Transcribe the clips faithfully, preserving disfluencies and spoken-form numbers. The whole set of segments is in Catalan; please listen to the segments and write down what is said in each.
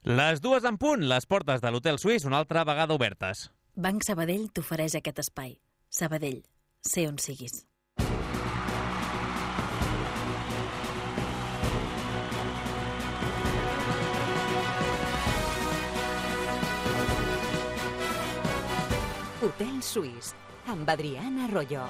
Les dues en punt, les portes de l'Hotel Suís una altra vegada obertes. Banc Sabadell t'ofereix aquest espai. Sabadell, sé on siguis. Hotel Suís, amb Adrián Arroyo.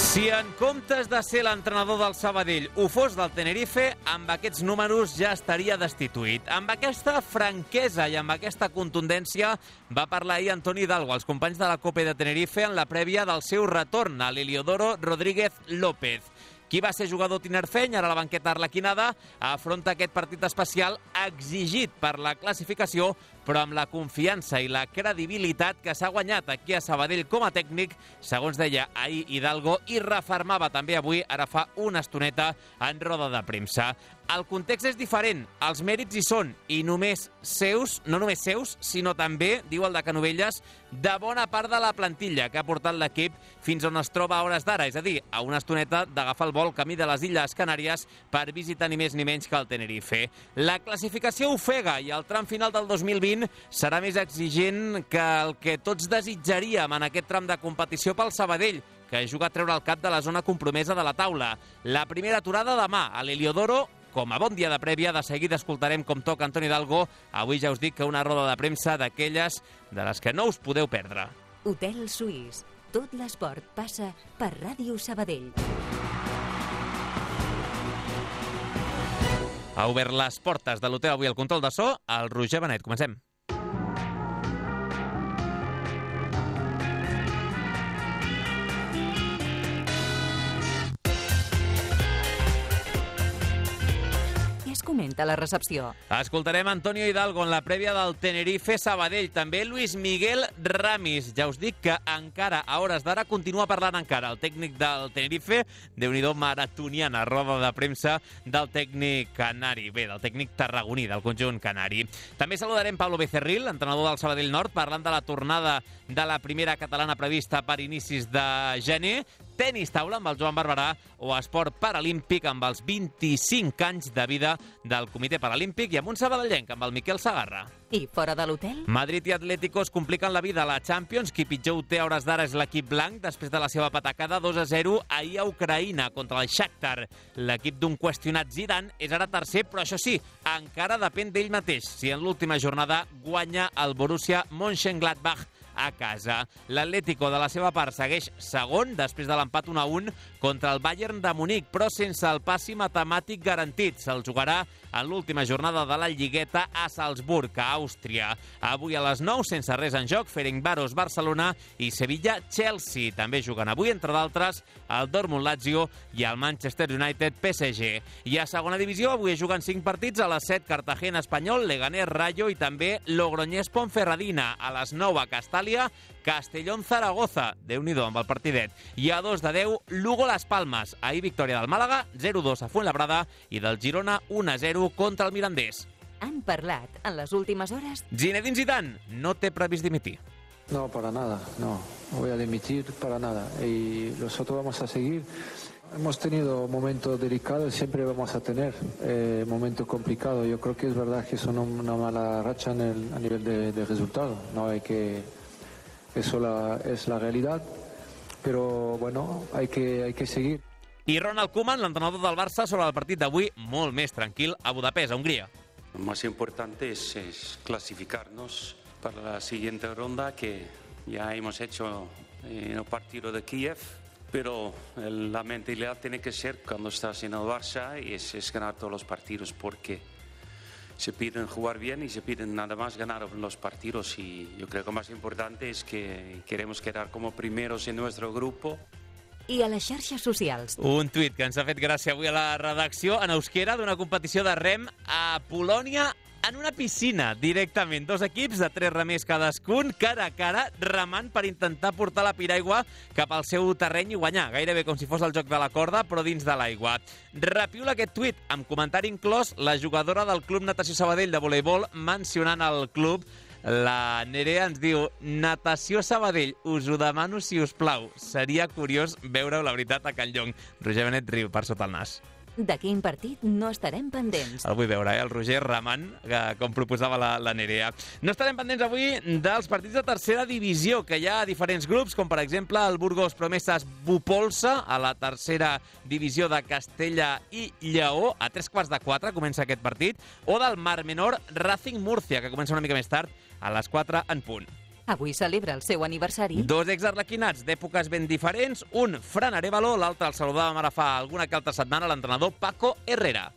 Si en comptes de ser l'entrenador del Sabadell ho fos del Tenerife, amb aquests números ja estaria destituït. Amb aquesta franquesa i amb aquesta contundència va parlar ahir Antoni Hidalgo als companys de la Copa de Tenerife en la prèvia del seu retorn a l'Heliodoro Rodríguez López. Qui va ser jugador tinerfeny, ara la banqueta arlequinada, afronta aquest partit especial exigit per la classificació, però amb la confiança i la credibilitat que s'ha guanyat aquí a Sabadell com a tècnic, segons deia ahir Hidalgo, i refermava també avui, ara fa una estoneta, en roda de premsa. El context és diferent, els mèrits hi són, i només seus, no només seus, sinó també, diu el de Canovelles, de bona part de la plantilla que ha portat l'equip fins on es troba a hores d'ara, és a dir, a una estoneta d'agafar el vol camí de les Illes Canàries per visitar ni més ni menys que el Tenerife. La classificació ofega i el tram final del dos mil vint serà més exigent que el que tots desitjaríem en aquest tram de competició pel Sabadell, que juga a treure el cap de la zona compromesa de la taula. La primera aturada demà a l'Heliodoro. Com a bon dia de prèvia, de seguida escoltarem com toca Antoni Hidalgo. Avui ja us dic que una roda de premsa d'aquelles de les que no us podeu perdre. Hotel Suís. Tot l'esport passa per Ràdio Sabadell. Ha obert les portes de l'hotel avui al control de so, el Roger Benet. Comencem. Comenta la recepció. Escoltarem Antonio Hidalgo en la prèvia del Tenerife Sabadell. També Luis Miguel Ramis. Ja us dic que encara, a hores d'ara, continua parlant encara el tècnic del Tenerife. Déu-n'hi-do, maratoniana roda de premsa del tècnic canari. Bé, del tècnic tarragoní, del conjunt canari. També saludarem Pablo Becerril, entrenador del Sabadell Nord, parlant de la tornada de la primera catalana prevista per inicis de gener. Tenis taula amb el Joan Barberà o esport paralímpic amb els vint-i-cinc anys de vida del Comitè Paralímpic i amb un sabadellenc amb el Miquel Sagarra. I fora de l'hotel? Madrid i Atlético es compliquen la vida a la Champions. Qui pitjor ho té a hores d'ara és l'equip blanc després de la seva patacada dos a zero ahir a Ucraïna contra el Shakhtar. L'equip d'un qüestionat Zidane és ara tercer, però això sí, encara depèn d'ell mateix si en l'última jornada guanya el Borussia Mönchengladbach a casa. L'Atlético, de la seva part, segueix segon després de l'empat un a un contra el Bayern de Munic, però sense el passi matemàtic garantit. Se'l jugarà en l'última jornada de la Lligueta a Salzburg, a Àustria. Avui a les nou, sense res en joc, Ferencváros Barcelona i Sevilla-Chelsea. També juguen avui, entre d'altres, el Dortmund-Lazio i el Manchester United-P S G. I a segona divisió, avui juguen cinc partits. A les set, Cartagena-Espanyol, Leganés-Rayo i també Logroñés-Ponferradina. A les nou, a Castàlia, Castellón-Zaragoza. Déu-n'hi-do amb el partidet. I a dos de deu, Lugo-Las Palmas. Ahir victòria del Màlaga, zero a dos a Fuenlabrada i del Girona, un a zero contra el Mirandés. Han parlat en les últimes hores? Zinedine Zidane no té previst dimitir. No, para nada, no. No voy a dimitir para nada. Y nosotros vamos a seguir. Hemos tenido momentos delicados, siempre vamos a tener eh, momentos complicados. Yo creo que es verdad que son una mala racha en el, a nivel de, de resultado. No hay que... Eso la, es la realidad. Però, bueno, hay que, hay que seguir. I Ronald Koeman, l'entrenador del Barça, sobre el partit d'avui, molt més tranquil a Budapest, a Hungría. Lo más importante es, es clasificarnos para la siguiente ronda, que ya hemos hecho en el partido de Kiev, pero la mentalidad tiene que ser cuando estás en el Barça y es, es ganar todos los partidos, porque se piden jugar bien y se piden nada más ganar los partidos, y yo creo que lo más importante es que queremos quedar como primeros en nuestro grupo. I a les xarxes socials. Un tuit que ens ha fet gràcia avui a la redacció en euskera d'una competició de rem a Polònia en una piscina, directament. Dos equips de tres remers cadascun, cara a cara, remant per intentar portar la piraigua cap al seu terreny i guanyar, gairebé com si fos el joc de la corda, però dins de l'aigua. Repiula aquest tuit, amb comentari inclòs la jugadora del Club Natació Sabadell de voleibol mencionant el club La Nerea ens diu: natació Sabadell, us ho demano si us plau. Seria curiós veure-ho, la veritat, a Can Llong. Roger Benet riu per sota el nas. De quin partit no estarem pendents? El vull veure, eh? El Roger remant, que, com proposava la, la Nerea. No estarem pendents avui dels partits de tercera divisió, que hi ha diferents grups, com per exemple el Burgos Promesas Bupolsa, a la tercera divisió de Castella i Lleó. A tres quarts de quatre comença aquest partit. O del Mar Menor Racing Murcia, que comença una mica més tard, a les quatre en punt. Avui celebra el seu aniversari. Dos exarlequinats d'èpoques ben diferents, un Fran Arévalo, l'altre el saludàvem ara fa alguna que altra setmana, l'entrenador Paco Herrera.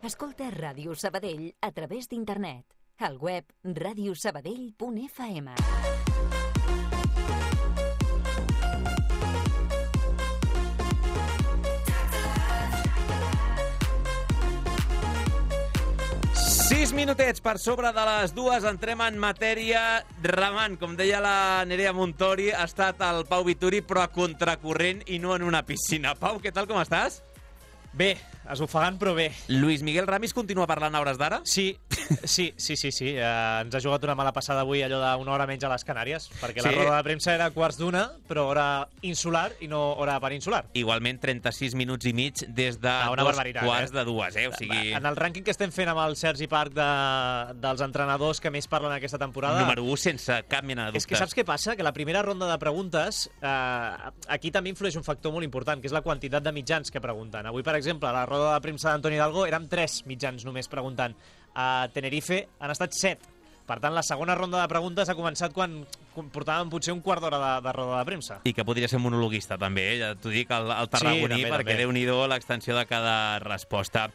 Escolta Ràdio Sabadell a través d'internet. Al web radiosabadell punt f m. Sis minutets per sobre de les dues, entrem en matèria remant. Com deia la Nerea Montori, ha estat el Pau Vituri, però a contracorrent i no en una piscina. Pau, què tal, com estàs? Bé, esbufegant, però bé. Lluís Miguel Ramis continua parlant a hores d'ara? Sí, sí, sí, sí, sí. Uh, ens ha jugat una mala passada avui, allò d'una hora menys a les Canàries, perquè sí. La roda de premsa era quarts d'una, però hora insular i no hora peninsular. Igualment, trenta-sis minuts i mig des de no, dos quarts eh? de dues, eh? O sigui... En el rànquing que estem fent amb el Sergi Parc de, dels entrenadors que més parlen aquesta temporada... Número u, sense cap mena de dubtes. És que saps què passa? Que la primera ronda de preguntes, eh, aquí també influeix un factor molt important, que és la quantitat de mitjans que pregunten. Avui, per exemple, a la roda de premsa d'Antoni Hidalgo érem tres mitjans només preguntant. A Tenerife han estat set. Per tant, la segona ronda de preguntes ha començat quan portàvem potser un quart d'hora de, de roda de premsa. I que podria ser monologuista, també, eh? Ja t'ho dic, el, el tarragoní, sí, també, perquè també. Déu-n'hi-do l'extensió de cada resposta.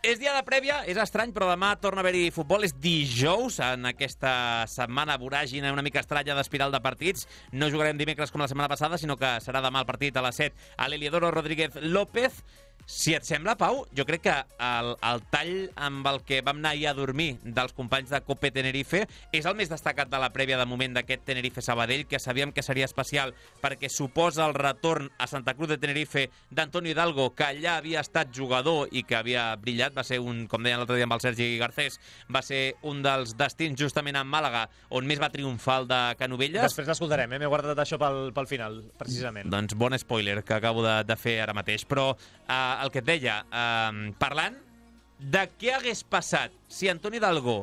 És dia de prèvia, és estrany, però demà torna a haver-hi futbol. És dijous, en aquesta setmana voràgina una mica estranya d'espiral de partits. No jugarem dimecres com la setmana passada, sinó que serà demà el partit a les set a l'Heliodoro Rodríguez López. Si et sembla, Pau, jo crec que el, el tall amb el que vam anar ahir a dormir dels companys de Cope Tenerife és el més destacat de la prèvia de moment d'aquest Tenerife-Sabadell, que sabíem que seria especial perquè suposa el retorn a Santa Cruz de Tenerife d'Antonio Hidalgo, que allà havia estat jugador i que havia brillat. Va ser un, com deien l'altre dia amb el Sergi Garcés, va ser un dels destins justament en Màlaga on més va triomfar el de Canovelles. Després l'escoltarem, eh? M'he guardat això pel, pel final, precisament. Doncs bon spoiler que acabo de, de fer ara mateix. Però eh, el que et deia, eh, parlant de què hagués passat si Antonio Hidalgo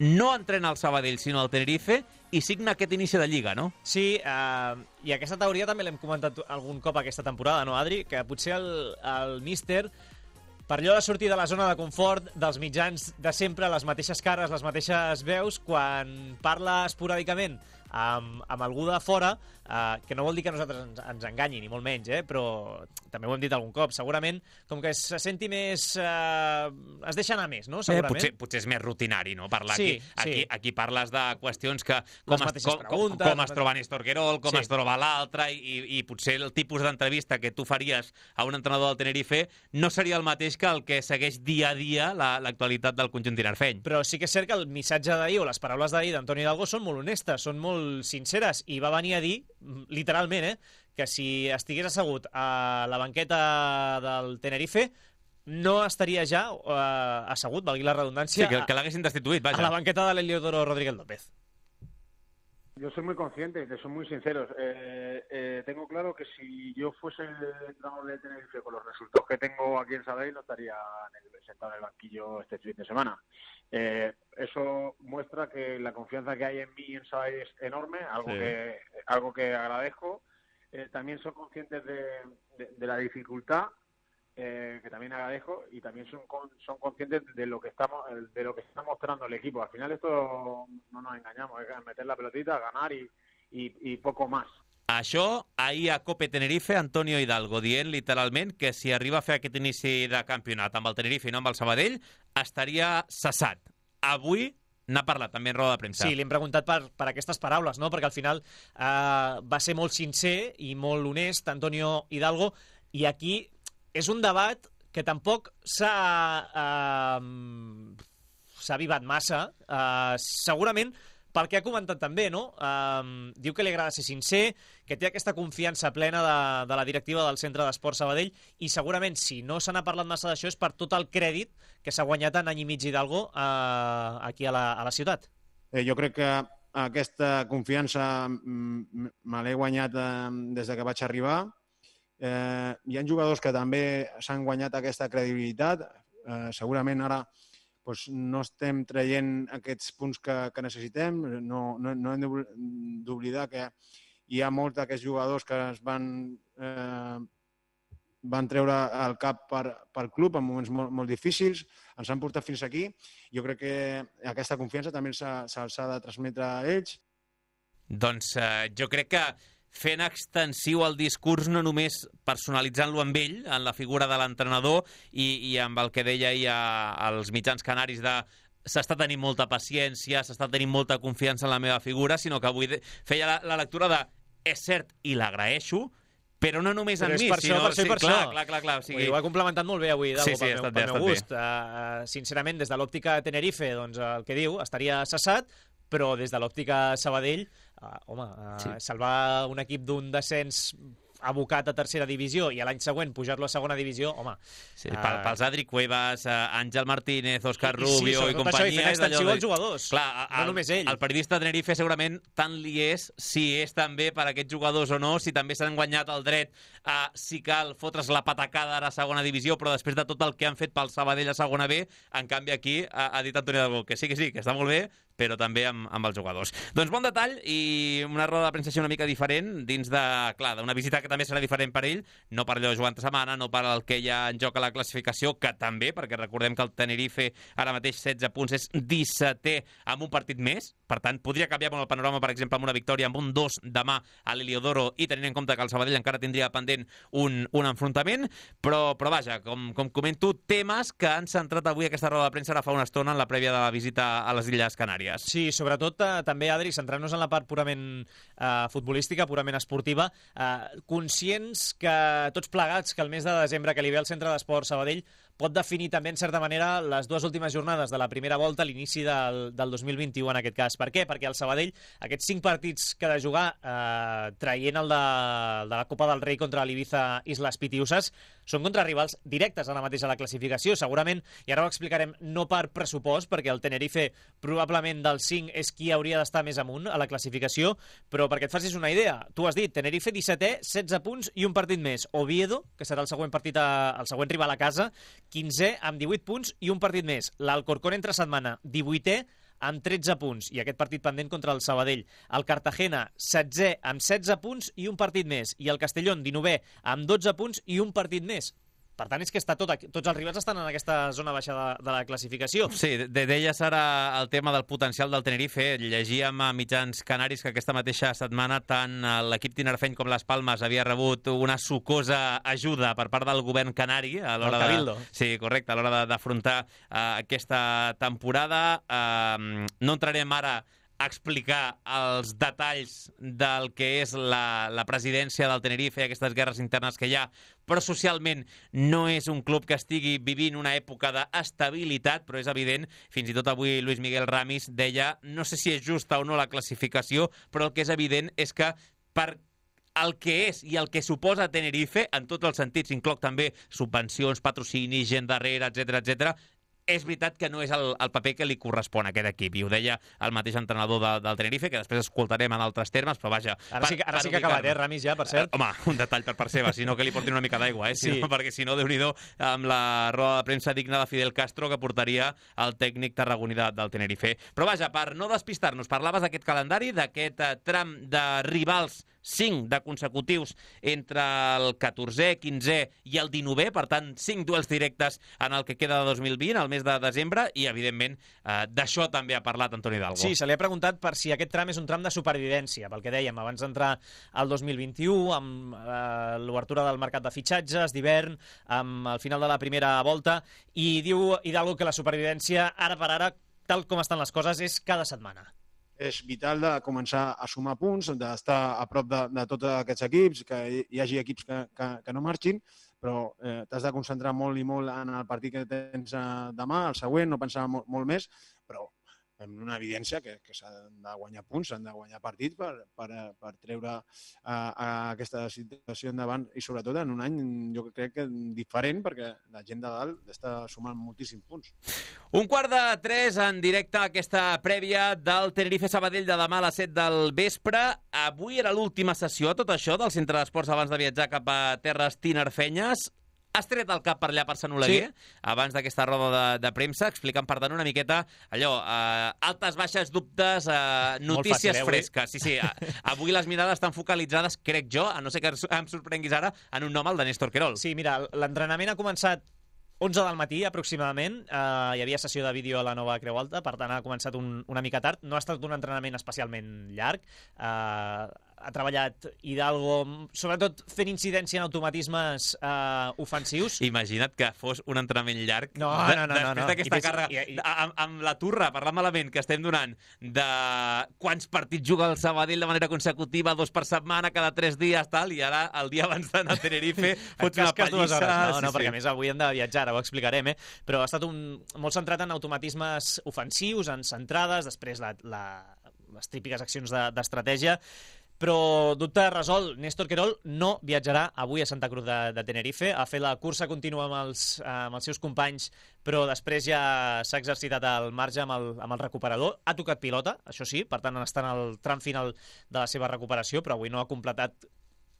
no entrena al Sabadell, sinó al Tenerife, i signa aquest inici de Lliga, no? Sí, eh, i aquesta teoria també l'hem comentat algun cop aquesta temporada, no, Adri? Que potser el, el míster, per allò de sortir de la zona de confort dels mitjans de sempre, les mateixes cares, les mateixes veus, quan parla esporàdicament amb, amb algú de fora, eh, que no vol dir que nosaltres ens, ens enganyi, ni molt menys, eh, però també ho hem dit algun cop, segurament, com que se senti més... Eh, es deixa anar més, no? Segurament. Eh, potser, potser és més rutinari, no? Parlar sí, aquí, aquí, sí. aquí parles de qüestions que... Com, es, com, preguntes, com es troba Néstor Querol, com sí. es troba l'altre, i, i potser el tipus d'entrevista que tu faries a un entrenador del Tenerife no seria el mateix que el que segueix dia a dia l'actualitat la, del conjunt tinerfeny. Però sí que és cert que el missatge d'ahir o les paraules d'ahir d'Antoni Hidalgo són molt honestes, són molt sinceres, i va venir a dir, literalment, eh, que si estigués assegut a la banqueta del Tenerife no estaria ja eh, assegut, valgui la redundància, sí, que, que l'haguessin destituït, vaja. A la banqueta de l'Heliodoro Rodríguez López. Yo soy muy consciente, que son muy sinceros. Eh, eh, tengo claro que si yo fuese entrenador de Tenerife con los resultados que tengo aquí en Sabadell, no estaría en el, sentado en el banquillo este fin de semana. Eh, eso muestra que la confianza que hay en mí en Sabadell es enorme, algo, sí. que, algo que agradezco. Eh, también son conscientes de, de, de la dificultad, eh, que también agradezco, y también son con, son conscientes de lo que estamos de lo que está mostrando el equipo. Al final esto no nos engañamos, es meter la pelotita, ganar y, y, y poco más. Això, ahir a Cope Tenerife, Antonio Hidalgo dient literalment que si arriba a fer aquest inici de campionat amb el Tenerife i no amb el Sabadell, estaria cessat. Avui n'ha parlat també en roda de premsa. Sí, li hem preguntat per, per aquestes paraules, no? Perquè al final eh, va ser molt sincer i molt honest Antonio Hidalgo, i aquí és un debat que tampoc s'ha eh, s'ha avivat massa. Eh, segurament pel que ha comentat també, no? Um, diu que li agrada ser sincer, que té aquesta confiança plena de, de la directiva del Centre d'Esport Sabadell i segurament, si no se n'ha parlat massa d'això, és per tot el crèdit que s'ha guanyat en any i mig Hidalgo uh, aquí a la, a la ciutat. Eh, jo crec que aquesta confiança me l'he guanyat eh, des de que vaig arribar. Eh, hi ha jugadors que també s'han guanyat aquesta credibilitat. Eh, segurament ara doncs, no estem traient aquests punts que, que necessitem. No, no, no hem d'oblidar que hi ha molts d'aquests jugadors que es van, eh, van treure el cap per, per club en moments molt, molt difícils, ens han portat fins aquí. Jo crec que aquesta confiança també se'ls ha de transmetre a ells. Doncs eh, jo crec que fent extensiu el discurs, no només personalitzant-lo amb ell, en la figura de l'entrenador i, i amb el que deia ahir als mitjans canaris de s'està tenint molta paciència, s'està tenint molta confiança en la meva figura, sinó que avui feia la, la lectura de és cert i l'agraeixo, però no només però en mi, per sinó... Això, per sí, per clar, això. clar, clar, clar. O sigui... Ho ha complementat molt bé avui, Hidalgo, sí, sí, pel, meu, bé, pel meu gust. Uh, sincerament, des de l'òptica Tenerife, doncs el que diu, estaria cessat, però des de l'òptica Sabadell, uh, home, uh, sí. salvar un equip d'un descens abocat a tercera divisió i a l'any següent pujar-lo a segona divisió, home... Sí, uh... pels Adri Cuevas, uh, Àngel Martínez, Òscar I, Rubio i, sí, i companyia... I fent extensiu als jugadors, clar, no el, només ell. El periodista de Tenerife segurament tant li és si és també per aquests jugadors o no, si també s'han guanyat el dret a, si cal, fotre's la patacada ara a segona divisió, però després de tot el que han fet pel Sabadell a segona B, en canvi aquí ha, ha dit Antoni Hidalgo que sí, que sí, que està molt bé, però també amb, amb els jugadors. Doncs bon detall i una roda de premsa una mica diferent dins de, clar, d'una visita que també serà diferent per ell, no per allò de jugar entre setmana, no per el que hi ha en joc a la classificació, que també, perquè recordem que el Tenerife ara mateix setze punts és dissetè amb un partit més, per tant, podria canviar molt el panorama, per exemple, amb una victòria amb un dos demà a l'Heliodoro i tenint en compte que el Sabadell encara tindria pendent un, un enfrontament, però, però vaja, com, com comento, temes que han centrat avui aquesta roda de premsa ara fa una estona en la prèvia de la visita a les Illes Canàries. Sí, sobretot eh, també, Adri, centrant-nos en la part purament eh, futbolística, purament esportiva, eh, conscients que tots plegats que el mes de desembre que li ve al Centre d'Esport Sabadell pot definir també, en certa manera, les dues últimes jornades de la primera volta, l'inici del, del dos mil vint-i-u en aquest cas. Per què? Perquè el Sabadell, aquests cinc partits que ha de jugar, eh, traient el de, el de la Copa del Rei contra l'Ibiza Islas Pitiusas, són contra rivals directes ara mateix a la classificació. Segurament, i ara ho explicarem, no per pressupost, perquè el Tenerife probablement dels cinc és qui hauria d'estar més amunt a la classificació, però perquè et facis una idea, tu has dit, Tenerife dissetè, setze punts i un partit més. Oviedo, que serà el següent partit a, el següent rival a casa, quinzè amb divuit punts i un partit més. L'Alcorcón entre setmana, divuitè amb tretze punts i aquest partit pendent contra el Sabadell. El Cartagena, setzè amb setze punts i un partit més. I el Castellón, dinovè amb dotze punts i un partit més. Per tant, és que està tot aquí, tots els rivals estan en aquesta zona baixa de, de la classificació. Sí, de, deies ara el tema del potencial del Tenerife. Llegíem a mitjans canaris que aquesta mateixa setmana tant l'equip tinerfeny com les Palmes havia rebut una sucosa ajuda per part del govern canari a l'hora de... Cabildo. Sí, correcte, a l'hora d'afrontar uh, aquesta temporada. Uh, no entrarem ara a explicar els detalls del que és la, la presidència del Tenerife i aquestes guerres internes que hi ha, però socialment no és un club que estigui vivint una època d'estabilitat, però és evident, fins i tot avui Luis Miguel Ramis deia, no sé si és justa o no la classificació, però el que és evident és que per el que és i el que suposa Tenerife, en tots els sentits, incloc també subvencions, patrocinis, gent darrere, etcètera, etcètera, és veritat que no és el, el paper que li correspon a aquest equip, i ho deia el mateix entrenador de, del Tenerife, que després escoltarem en altres termes, però vaja... Ara sí, ara sí que ha acabat, eh, Ramis, ja, per cert. Uh, home, un detall per part seva, si no que li portin una mica d'aigua, eh? Si sí. no, perquè si no, Déu-n'hi-do, amb la roda de premsa digna de Fidel Castro que portaria el tècnic tarragoní de, del Tenerife. Però vaja, per no despistar-nos, parlaves d'aquest calendari, d'aquest uh, tram de rivals, cinc de consecutius entre el catorzè, quinzè i el dinovè, per tant, cinc duels directes en el que queda de dos mil vint, el mes de desembre, i, evidentment, eh, d'això també ha parlat Antoni Hidalgo. Sí, se li ha preguntat per si aquest tram és un tram de supervivència, pel que dèiem, abans d'entrar al dos mil vint-i-u, amb eh, l'obertura del mercat de fitxatges d'hivern, amb el final de la primera volta, i diu Hidalgo que la supervivència, ara per ara, tal com estan les coses, és cada setmana. És vital de començar a sumar punts, d'estar a prop de, de tots aquests equips, que hi hagi equips que, que, que no marxin, però eh, t'has de concentrar molt i molt en el partit que tens eh, demà, el següent, no pensar molt, molt més, però amb una evidència que, que s'han de guanyar punts, s'han de guanyar partits per, per, per treure a, a aquesta situació endavant i sobretot en un any jo crec que diferent perquè la gent de dalt està sumant moltíssims punts. Un quart de tres en directe a aquesta prèvia del Tenerife Sabadell de demà a les set del vespre. Avui era l'última sessió a tot això del Centre d'Esports abans de viatjar cap a terres tinerfenyes. Has tret el cap per allà per Sant Oleguer, sí, abans d'aquesta roda de, de premsa, explicant, per tant, una miqueta allò, eh, altes, baixes, dubtes, eh, notícies fàcil, eh, fresques. Sí, sí, avui les mirades estan focalitzades, crec jo, a no ser que em sorprenguis ara, en un nom, el de Néstor Querol. Sí, mira, l'entrenament ha començat onze del matí, aproximadament. Uh, hi havia sessió de vídeo a la nova Creu Alta, per tant ha començat un, una mica tard. No ha estat un entrenament especialment llarg. Uh, ha treballat Hidalgo, sobretot fent incidència en automatismes uh, ofensius. Imagina't que fos un entrenament llarg. No, de, no, no. Després no, no. d'aquesta càrrega, i, i... amb, amb la turra, parlant malament, que estem donant, de quants partits juga el Sabadell de manera consecutiva, dos per setmana, cada tres dies, tal, i ara, el dia abans d'anar a Tenerife, fots una pallissa. No, no, sí, perquè sí. a més avui hem de viatjar, ara ho explicarem, eh? Però ha estat un, molt centrat en automatismes ofensius, en centrades, després la, la, les típiques accions d'estratègia, de, però dubte resolt. Néstor Querol no viatjarà avui a Santa Cruz de, de Tenerife, ha fet la cursa contínua amb els, amb els seus companys, però després ja s'ha exercitat al marge amb el, amb el recuperador. Ha tocat pilota, això sí, per tant està en el tram final de la seva recuperació, però avui no ha completat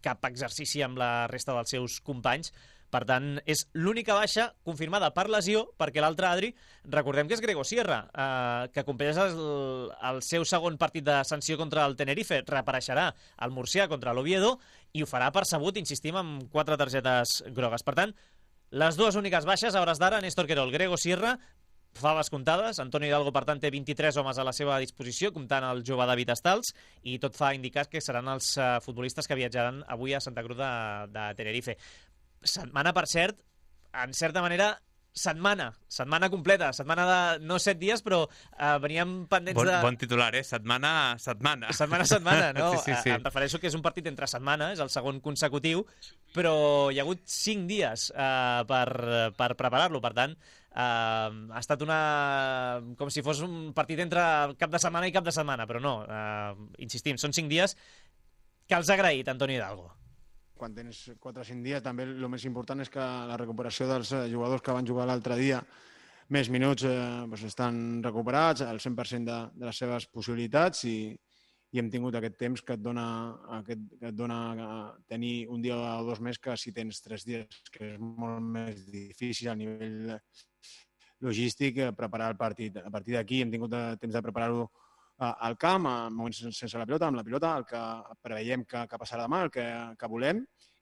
cap exercici amb la resta dels seus companys. Per tant, és l'única baixa confirmada per lesió, perquè l'altre, Adri, recordem que és Grego Sierra, eh, que compleix el, el seu segon partit de sanció contra el Tenerife, reapareixerà al Murcià contra l'Oviedo i ho farà percebut, insistim, amb quatre targetes grogues. Per tant, les dues úniques baixes, a hores d'ara, Néstor Querol, Grego Sierra, faves comptades. Antonio Hidalgo, per tant, té vint-i-tres homes a la seva disposició, comptant el jove David Estals, i tot fa indicar que seran els uh, futbolistes que viatjaran avui a Santa Cruz de, de Tenerife. Setmana, per cert, en certa manera, setmana, setmana completa, setmana de no set dies, però uh, veníem pendents bon, de... Bon titular, eh? Setmana, setmana. Setmana, setmana, no? Sí, sí, sí. Em refereixo que és un partit entre setmana, és el segon consecutiu, però hi ha hagut cinc dies uh, per, per preparar-lo, per tant, uh, ha estat una... com si fos un partit entre cap de setmana i cap de setmana, però no, uh, insistim, són cinc dies que els ha agraït Antonio Hidalgo. Quan tens quatre o cinc dies, també el més important és que la recuperació dels jugadors que van jugar l'altre dia més minuts eh, doncs estan recuperats al cent per cent de, de les seves possibilitats i, i hem tingut aquest temps que et dona, aquest, que et dona tenir un dia o dos més que si tens tres dies, que és molt més difícil a nivell logístic preparar el partit. A partir d'aquí hem tingut temps de preparar-ho al camp, en moments sense la pilota, amb la pilota, el que preveiem que, que passarà demà, el que, que volem,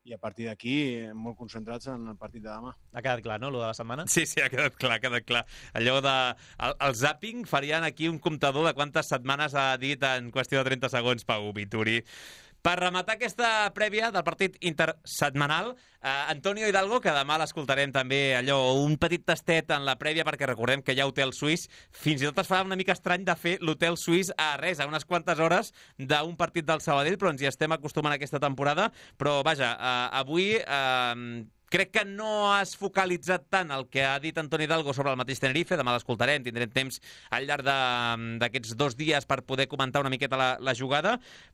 i a partir d'aquí molt concentrats en el partit de demà. Ha quedat clar, no, allò de la setmana? Sí, sí, ha quedat clar, ha quedat clar. Allò de... El, el zàping farien aquí un comptador de quantes setmanes ha dit en qüestió de trenta segons Pau Vituri. Per rematar aquesta prèvia del partit intersetmanal, eh, Antonio Hidalgo, que demà l'escoltarem també allò, un petit tastet en la prèvia, perquè recordem que hi ha hotel suís, fins i tot es farà una mica estrany de fer l'hotel suís a res, a unes quantes hores d'un partit del Sabadell, però ens hi estem acostumant aquesta temporada. Però vaja, eh, avui... Eh, crec que no has focalitzat tant el que ha dit Antonio Hidalgo sobre el mateix Tenerife. Demà l'escoltarem, tindrem temps al llarg d'aquests dos dies per poder comentar una miqueta la, la jugada,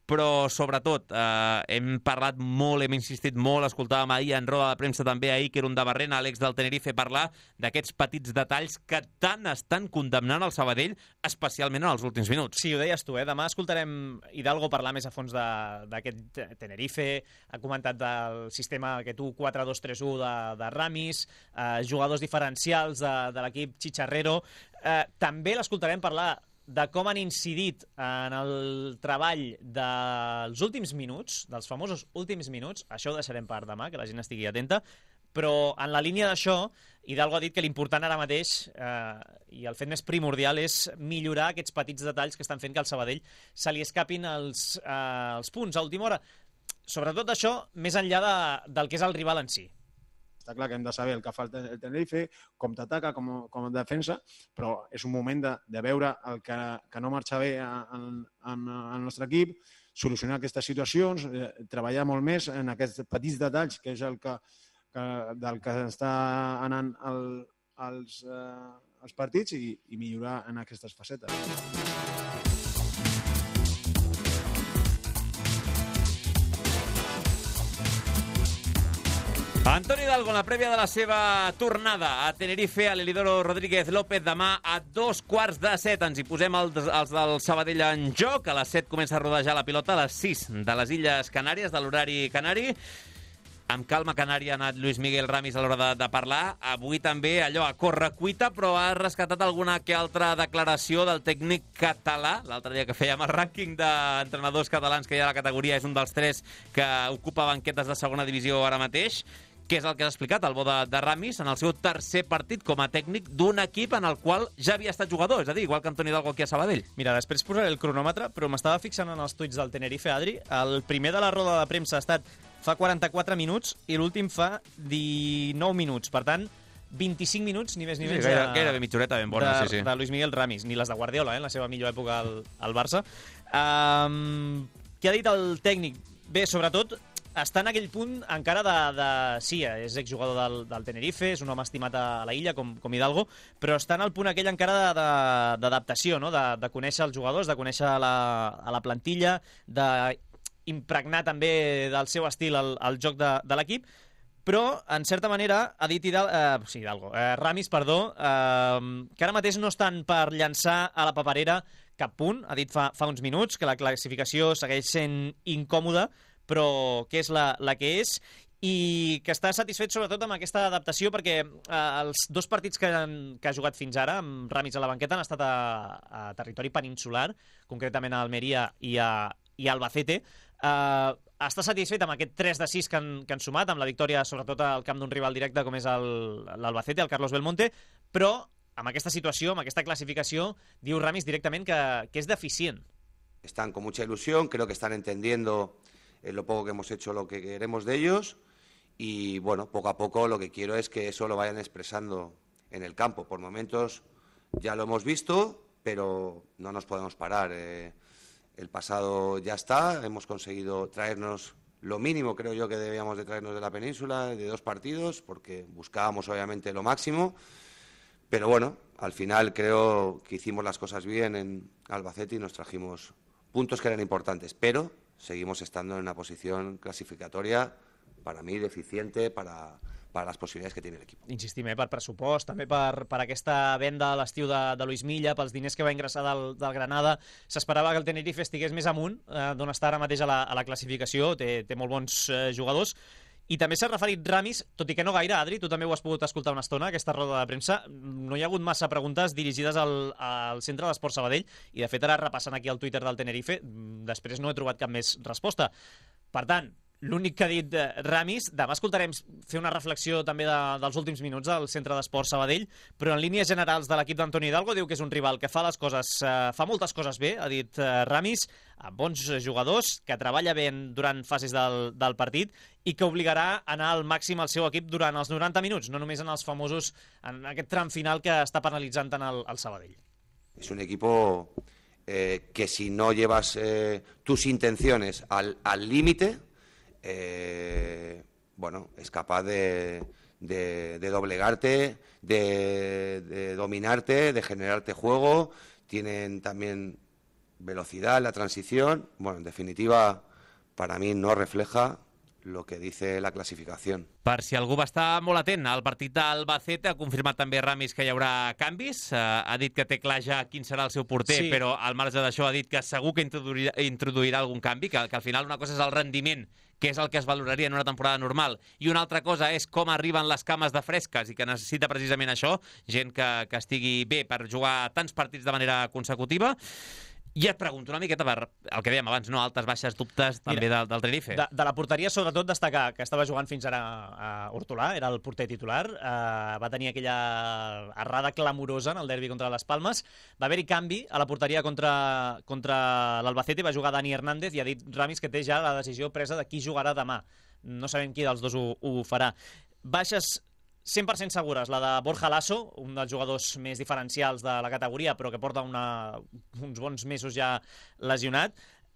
però sobretot eh, hem parlat molt, hem insistit molt, escoltàvem ahir en roda de premsa també ahir que era un de Barrena, l'ex del Tenerife, parlar d'aquests petits detalls que tant estan condemnant el Sabadell, especialment en els últims minuts. Sí, ho deies tu, eh? Demà escoltarem Hidalgo parlar més a fons d'aquest Tenerife, ha comentat del sistema que tu quatre dos tres u de, de Ramis, eh, jugadors diferencials de, de l'equip Chicharrero. Eh, també l'escoltarem parlar de com han incidit en el treball dels últims minuts, dels famosos últims minuts. Això ho deixarem per demà, que la gent estigui atenta. Però en la línia d'això, Hidalgo ha dit que l'important ara mateix eh, i el fet més primordial és millorar aquests petits detalls que estan fent que al Sabadell se li escapin els, eh, els punts a última hora. Sobretot això, més enllà de, del que és el rival en si. Està clar que hem de saber el que fa el Tenerife, com t'ataca, com, com et defensa, però és un moment de, de veure el que, que no marxa bé en, en, en el nostre equip, solucionar aquestes situacions, eh, treballar molt més en aquests petits detalls, que és el que, que del que està anant el, els, eh, els partits i, i millorar en aquestes facetes. Antoni Hidalgo, en la prèvia de la seva tornada a Tenerife, a l'Elidoro Rodríguez López, demà a dos quarts de set. Ens hi posem els, els del Sabadell en joc. A les set comença a rodejar la pilota, a les sis de les Illes Canàries, de l'horari canari. Amb calma canària ha anat Luis Miguel Ramis a l'hora de, de parlar. Avui també allò a correcuita, però ha rescatat alguna que altra declaració del tècnic català. L'altre dia que fèiem el rànquing d'entrenadors catalans que hi ha a la categoria, és un dels tres que ocupa banquetes de segona divisió ara mateix. Què és el que has explicat, el bo de, de Ramis, en el seu tercer partit com a tècnic d'un equip en el qual ja havia estat jugador, és a dir, igual que Antoni Hidalgo aquí a Sabadell. Mira, després posaré el cronòmetre, però m'estava fixant en els tuits del Tenerife, Adri. El primer de la roda de premsa ha estat fa quaranta-quatre minuts i l'últim fa dinou minuts. Per tant, vint-i-cinc minuts, ni més ni menys, sí, gaire, de, gairebé mitja horeta ben bona, de, sí, sí. de Luis Miguel Ramis, ni les de Guardiola, eh, en la seva millor època al, al Barça. Um, què ha dit el tècnic? Bé, sobretot, està en aquell punt encara de... de sí, és exjugador del, del Tenerife, és un home estimat a la illa, com, com Hidalgo, però està en el punt aquell encara d'adaptació, no? de, de conèixer els jugadors, de conèixer la, a la plantilla, d'impregnar també del seu estil el, el joc de, de l'equip, però, en certa manera, ha dit Hidalgo, eh, sí, Hidalgo, eh, Ramis, perdó, eh, que ara mateix no estan per llançar a la paperera cap punt. Ha dit fa, fa uns minuts que la classificació segueix sent incòmoda, però que és la, la que és, i que està satisfet sobretot amb aquesta adaptació perquè eh, els dos partits que, han, que ha jugat fins ara, amb Ramis a la banqueta, han estat a, a territori peninsular, concretament a Almeria i a, i a Albacete. Eh, està satisfet amb aquest tres de sis que han, que han sumat, amb la victòria sobretot al camp d'un rival directe com és l'Albacete, el Carlos Belmonte, però amb aquesta situació, amb aquesta classificació, diu Ramis directament que, que és deficient. Están con mucha ilusión, creo que están entendiendo eh, lo poco que hemos hecho, lo que queremos de ellos, y bueno, poco a poco lo que quiero es que eso lo vayan expresando en el campo. Por momentos ya lo hemos visto, pero no nos podemos parar. Eh, el pasado ya está, hemos conseguido traernos lo mínimo, creo yo, que debíamos de traernos de la península, de dos partidos, porque buscábamos obviamente lo máximo, pero bueno, al final creo que hicimos las cosas bien en Albacete y nos trajimos puntos que eran importantes, pero seguimos estando en una posición clasificatoria, para mí, deficiente para, para les possibilitats que té l'equip. Insistim, eh, per pressupost, també per, per aquesta venda a l'estiu de, de Luis Milla, pels diners que va ingressar del, del Granada. S'esperava que el Tenerife estigués més amunt, eh, d'on està ara mateix a la, a la classificació, té, té molt bons eh, jugadors. I també s'ha referit Ramis, tot i que no gaire, Adri, tu també ho has pogut escoltar una estona, aquesta roda de premsa. No hi ha hagut massa preguntes dirigides al, al Centre d'Esport Sabadell, i de fet ara repassant aquí el Twitter del Tenerife, després no he trobat cap més resposta. Per tant, l'únic que ha dit Ramis, demà escoltarem fer una reflexió també de, dels últims minuts del Centre d'Esport Sabadell, però en línies generals de l'equip d'Antoni Hidalgo diu que és un rival que fa les coses, eh, fa moltes coses bé, ha dit eh, Ramis, amb bons jugadors, que treballa bé durant fases del, del partit i que obligarà a anar al màxim al seu equip durant els noranta minuts, no només en els famosos, en aquest tram final que està penalitzant tant el, el Sabadell. És un equipo eh, que si no llevas eh, tus intenciones al límite, Eh, bueno, es capaz de, de, de doblegarte, de, de dominarte, de generarte juego. Tienen también velocidad en la transición. Bueno, en definitiva, para mí no refleja lo que dice la classificació. Per si algú va estar molt atent al partit d'Albacete, ha confirmat també Ramis que hi haurà canvis, uh, ha dit que té clar ja quin serà el seu porter, sí. Però al marge d'això ha dit que segur que introduirà, introduirà algun canvi, que, que al final una cosa és el rendiment, que és el que es valoraria en una temporada normal, i una altra cosa és com arriben les cames de fresques, i que necessita precisament això, gent que, que estigui bé per jugar tants partits de manera consecutiva. I et pregunto una miqueta per el que dèiem abans, no? Altes, baixes, dubtes també Mira, del, del Tenerife. De, de la porteria, sobretot, destacar que estava jugant fins ara a Hortolà, era el porter titular, eh, va tenir aquella errada clamorosa en el derbi contra les Palmes, va haver-hi canvi a la porteria contra, contra l'Albacete, va jugar Dani Hernández i ha dit Ramis que té ja la decisió presa de qui jugarà demà. No sabem qui dels dos ho, ho farà. Baixes cent per cent segures, la de Borja Lasso, un dels jugadors més diferencials de la categoria, però que porta una, uns bons mesos ja lesionat.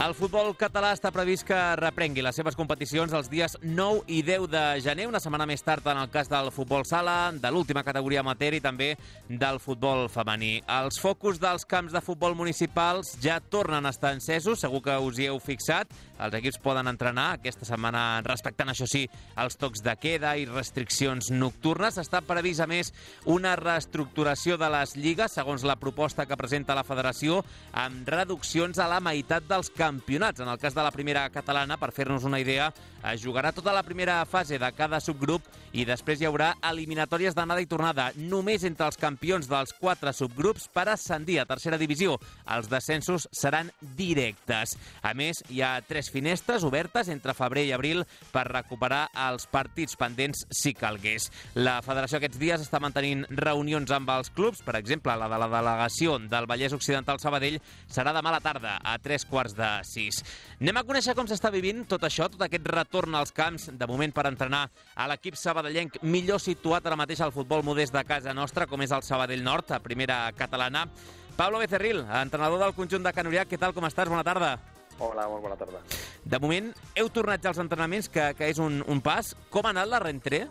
El futbol català està previst que reprengui les seves competicions els dies nou i deu de gener, una setmana més tard en el cas del futbol sala, de l'última categoria amateur i també del futbol femení. Els focus dels camps de futbol municipals ja tornen a estar encesos, segur que us hi heu fixat. Els equips poden entrenar aquesta setmana respectant, això sí, els tocs de queda i restriccions nocturnes. Està previst, a més, una reestructuració de les lligues, segons la proposta que presenta la federació, amb reduccions a la meitat dels campionats. En el cas de la primera catalana, per fer-nos una idea, es jugarà tota la primera fase de cada subgrup i després hi haurà eliminatòries d'anada i tornada, només entre els campions dels quatre subgrups per ascendir a tercera divisió. Els descensos seran directes. A més, hi ha tres finestres obertes entre febrer i abril per recuperar els partits pendents si calgués. La federació aquests dies està mantenint reunions amb els clubs. Per exemple, la de la delegació del Vallès Occidental Sabadell serà demà a la tarda, a tres quarts de sis. Anem a conèixer com s'està vivint tot això, tot aquest retorn als camps, de moment per entrenar a l'equip sabadellenc millor situat ara mateix al futbol modest de casa nostra, com és el Sabadell Nord, a primera catalana. Pablo Becerril, entrenador del conjunt de Can Uriach, què tal, com estàs? Bona tarda. Hola, molt bona tarda. De moment, heu tornat ja als entrenaments, que, que és un, un pas. Com ha anat la rentrée?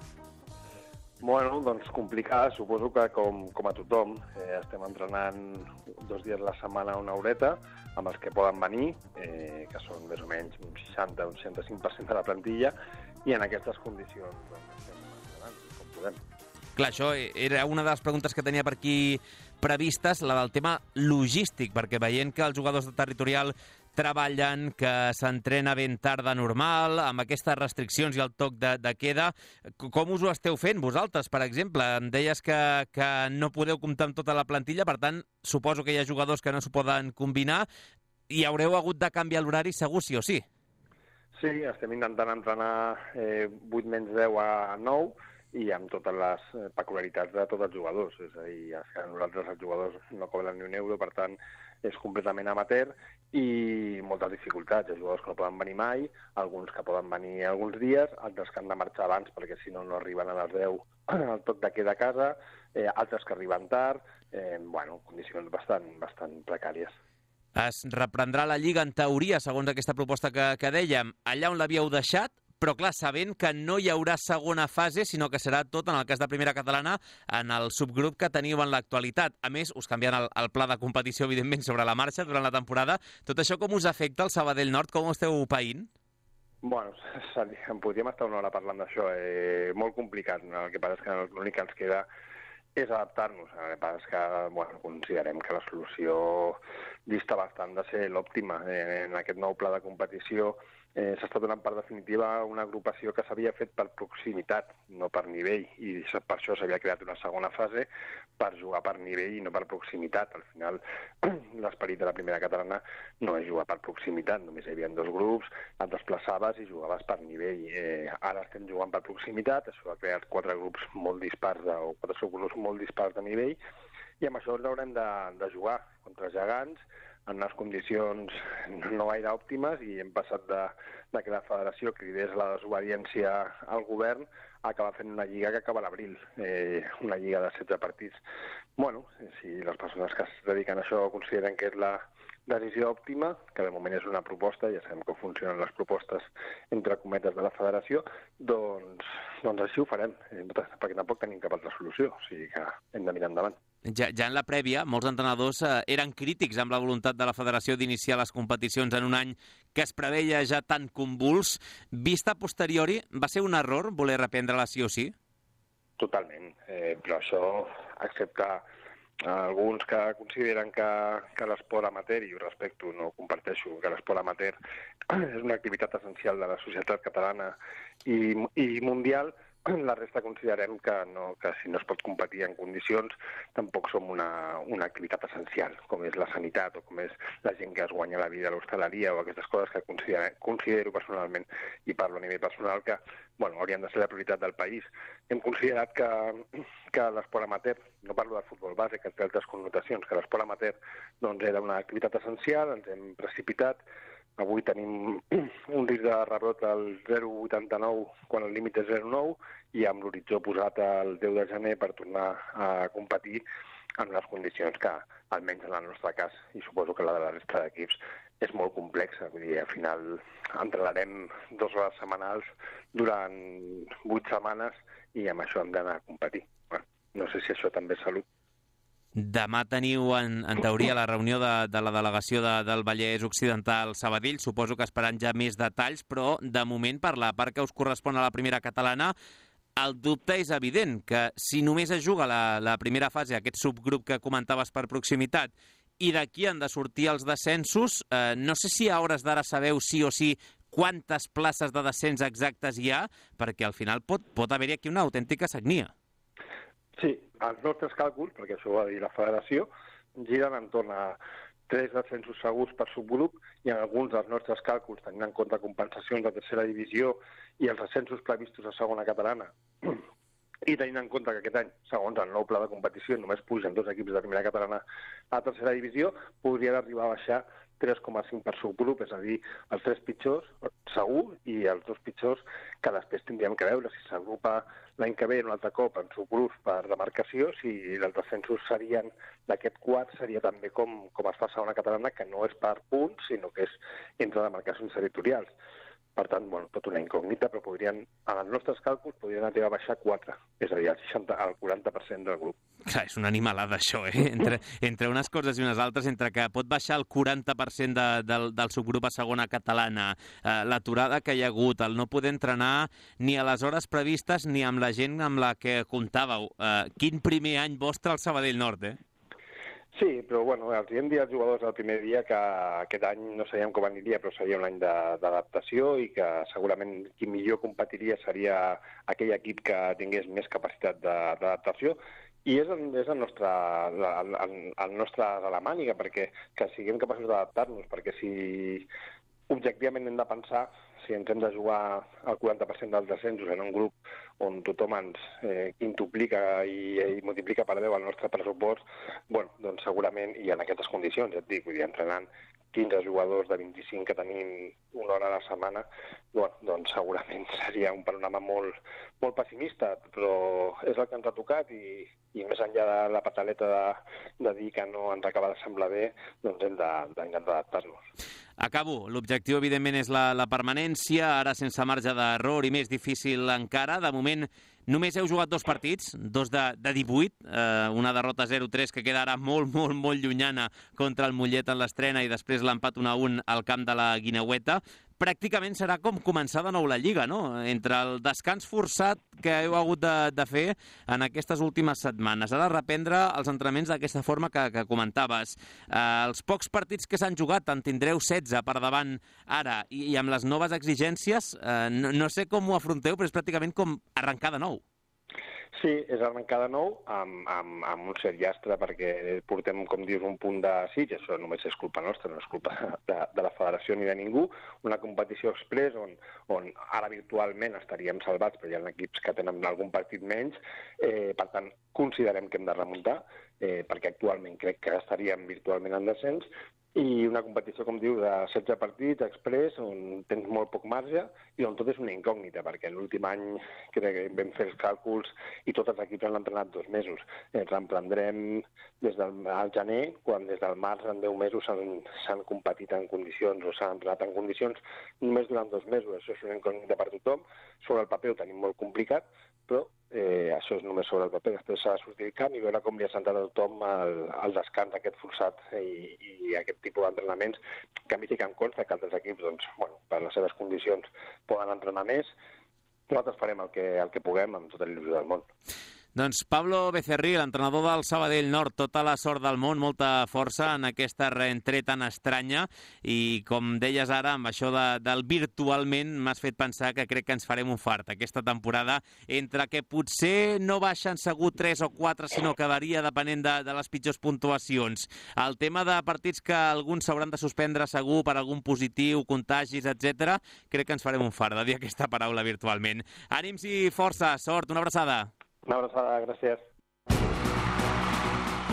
Bueno, doncs complicada, suposo que com, com a tothom. Eh, estem entrenant dos dies a la setmana una horeta, amb els que poden venir, eh, que són més o menys un seixanta o un seixanta-cinc per cent de la plantilla, i en aquestes condicions doncs, estem entrenant com podem. Clar, això era una de les preguntes que tenia per aquí previstes, la del tema logístic, perquè veient que els jugadors de territorial treballen, que s'entrena ben tard de normal, amb aquestes restriccions i el toc de, de queda, com us ho esteu fent vosaltres, per exemple? Em deies que, que no podeu comptar amb tota la plantilla, per tant, suposo que hi ha jugadors que no s'ho poden combinar i haureu hagut de canviar l'horari segur sí o sí. Sí, estem intentant entrenar eh, vuit menys deu a nou, i amb totes les peculiaritats de tots els jugadors. És a dir, que nosaltres els jugadors no cobren ni un euro, per tant, és completament amateur i moltes dificultats. Hi ha jugadors que no poden venir mai, alguns que poden venir alguns dies, altres que han de marxar abans perquè si no no arriben a les deu al toc de queda a casa, eh, altres que arriben tard, eh, bueno, condicions bastant, bastant precàries. Es reprendrà la Lliga, en teoria, segons aquesta proposta que, que dèiem, allà on l'havíeu deixat, però clar, sabent que no hi haurà segona fase, sinó que serà tot, en el cas de primera catalana, en el subgrup que teniu en l'actualitat. A més, us canviant el, el pla de competició, evidentment, sobre la marxa durant la temporada. Tot això com us afecta el Sabadell Nord? Com ho esteu païnt? Bueno, en podríem estar una hora parlant d'això. Eh, molt complicat. No? El que passa és que l'únic que ens queda és adaptar-nos. El que passa és que bueno, considerem que la solució dista bastant de ser l'òptima. Eh, en aquest nou pla de competició Eh, s'està donant per definitiva una agrupació que s'havia fet per proximitat, no per nivell, i per això s'havia creat una segona fase per jugar per nivell i no per proximitat. Al final, l'esperit de la primera catalana no és jugar per proximitat, només hi havia dos grups, et desplaçaves i jugaves per nivell. Eh, ara estem jugant per proximitat, això ha creat quatre grups molt dispars, de, o quatre subgrups molt dispars de nivell, i amb això ens haurem de, de jugar contra gegants, en unes condicions no gaire òptimes, i hem passat de, de que la federació cridés la desobediència al govern a acabar fent una lliga que acaba a l'abril, eh, una lliga de setze partits. Bueno, si les persones que es dediquen a això consideren que és la decisió òptima, que de moment és una proposta, ja sabem com funcionen les propostes entre cometes de la federació, doncs, doncs així ho farem, perquè tampoc tenim cap altra solució, o sigui que hem de mirar endavant. Ja, ja en la prèvia, molts entrenadors eh, eren crítics amb la voluntat de la federació d'iniciar les competicions en un any que es preveia ja tan convuls. Vista a posteriori, va ser un error voler reprendre-la sí o sí? Totalment, eh, però això, excepte alguns que consideren que, que l'esport amateur, i ho respecto, no comparteixo, que l'esport amateur és una activitat essencial de la societat catalana i, i mundial, la resta considerem que, no, que si no es pot competir en condicions tampoc som una, una activitat essencial, com és la sanitat o com és la gent que es guanya la vida a l'hostaleria o aquestes coses que considero, considero personalment, i parlo a nivell personal, que bueno, haurien de ser la prioritat del país. Hem considerat que, que l'esport amateur, no parlo del futbol base, que té altres connotacions, que l'esport amateur doncs, era una activitat essencial, ens hem precipitat. Avui tenim un risc de rebrot al zero coma vuitanta-nou quan el límit és zero coma nou i amb l'horitzó posat al deu de gener per tornar a competir en les condicions que, almenys en el nostre cas, i suposo que la de la resta d'equips, és molt complexa. Vull dir, al final entrenarem dues hores setmanals durant vuit setmanes i amb això hem d'anar a competir. Bueno, no sé si això també és salut. Demà teniu, en, en teoria, la reunió de, de la delegació de, del Vallès Occidental Sabadell. Suposo que esperant ja més detalls, però de moment, per la part que us correspon a la primera catalana, el dubte és evident, que si només es juga la, la primera fase, aquest subgrup que comentaves per proximitat, i d'aquí han de sortir els descensos, eh, no sé si a hores d'ara sabeu sí o sí quantes places de descens exactes hi ha, perquè al final pot, pot haver-hi aquí una autèntica sagnia. Sí, els nostres càlculs, perquè això ho ha de dir la federació, giren entorn a tres descensos segurs per subgrup i en alguns dels nostres càlculs, tenint en compte compensacions de tercera divisió i els descensos previstos a segona catalana, i tenint en compte que aquest any, segons el nou pla de competició, només pugen dos equips de primera catalana a tercera divisió, podrien arribar a baixar tres coma cinc per subgrup, és a dir, els tres pitjors segur i els dos pitjors que després tindríem que veure si s'agrupa l'any que ve un altre cop en subgrups per demarcació, si els descensos serien d'aquest quart, seria també com, com es fa a segona catalana, que no és per punts, sinó que és entre demarcacions territorials. Per tant, bueno, tot una incògnita, però podrien, en els nostres càlculs, podrien arribar a baixar quatre, és a dir, el, seixanta, el quaranta per cent del grup. Clar, és una animalada, això, eh? Entre, entre unes coses i unes altres, entre que pot baixar el quaranta per cent de, del, del subgrup a segona catalana, eh, l'aturada que hi ha hagut, el no poder entrenar ni a les hores previstes ni amb la gent amb la que comptàveu. Eh, quin primer any vostre al Sabadell Nord, eh? Sí, però bueno, els hem dit als jugadors el primer dia que aquest any no sabíem com aniria, però seria un any d'adaptació i que segurament qui millor competiria seria aquell equip que tingués més capacitat d'adaptació. I és el, és el nostre, el, el, el nostre de la màniga, perquè que siguem capaços d'adaptar-nos, perquè si objectivament hem de pensar si ens hem de jugar el quaranta per cent dels descensos en un grup on tothom ens eh, quintuplica i, i multiplica per deu el nostre pressupost, bueno, doncs segurament, i en aquestes condicions, ja et dic, vull dir, entrenant quinze jugadors de vint-i-cinc que tenim una hora a la setmana, bueno, doncs segurament seria un panorama molt, molt pessimista, però és el que ens ha tocat i, i més enllà de la pataleta de, de dir que no ens acaba de semblar bé, doncs hem d'intentar adaptar-nos. Acabo. L'objectiu, evidentment, és la, la permanència, ara sense marge d'error i més difícil encara. De moment, només heu jugat dos partits, dos de, de divuit, eh, una derrota zero tres que queda ara molt, molt, molt llunyana contra el Mollet en l'estrena i després l'empat un a un al camp de la Guineueta. Pràcticament serà com començar de nou la Lliga, no? Entre el descans forçat que heu hagut de, de fer en aquestes últimes setmanes. Ara reprendre els entrenaments d'aquesta forma que, que comentaves. Eh, els pocs partits que s'han jugat, en tindreu setze per davant ara, i, i amb les noves exigències, eh, no, no sé com ho afronteu, però és pràcticament com arrencar de nou. Sí, és arrencar de nou amb, amb, amb un cert llastre perquè portem, com dius, un punt de sig, això només és culpa nostra, no és culpa de, de la federació ni de ningú, una competició express on, on ara virtualment estaríem salvats, però hi ha equips que tenen algun partit menys, eh, per tant, considerem que hem de remuntar, eh, perquè actualment crec que estaríem virtualment en descens, i una competició, com diu, de setze partits express, on tens molt poc marge i on tot és una incògnita, perquè l'últim any crec que vam fer els càlculs i tots els equips han entrenat dos mesos. Ens reprendrem des del gener, quan des del març en deu mesos s'han competit en condicions o s'han entrenat en condicions només durant dos mesos. Això és una incògnita per tothom. Sobre el paper ho tenim molt complicat, però eh, això és només sobre el paper. Després s'ha de sortir el camp i veure com li ha sentat a tothom el, el descans aquest forçat i, i aquest tipus d'entrenaments, que a mi sí que em consta que altres equips, doncs, bueno, per les seves condicions, poden entrenar més. Nosaltres farem el que, el que puguem amb tota l'il·lusió del món. Doncs Pablo Becerril, l'entrenador del Sabadell Nord, tota la sort del món, molta força en aquesta reentré tan estranya i, com deies ara, amb això de, del virtualment m'has fet pensar que crec que ens farem un fart aquesta temporada, entre que potser no baixen segur tres o quatre, sinó que varia depenent de, de les pitjors puntuacions. El tema de partits que alguns s'hauran de suspendre segur per algun positiu, contagis, etcètera, crec que ens farem un fart de dir aquesta paraula virtualment. Ànims i força, sort, una abraçada. Una abraçada, gràcies.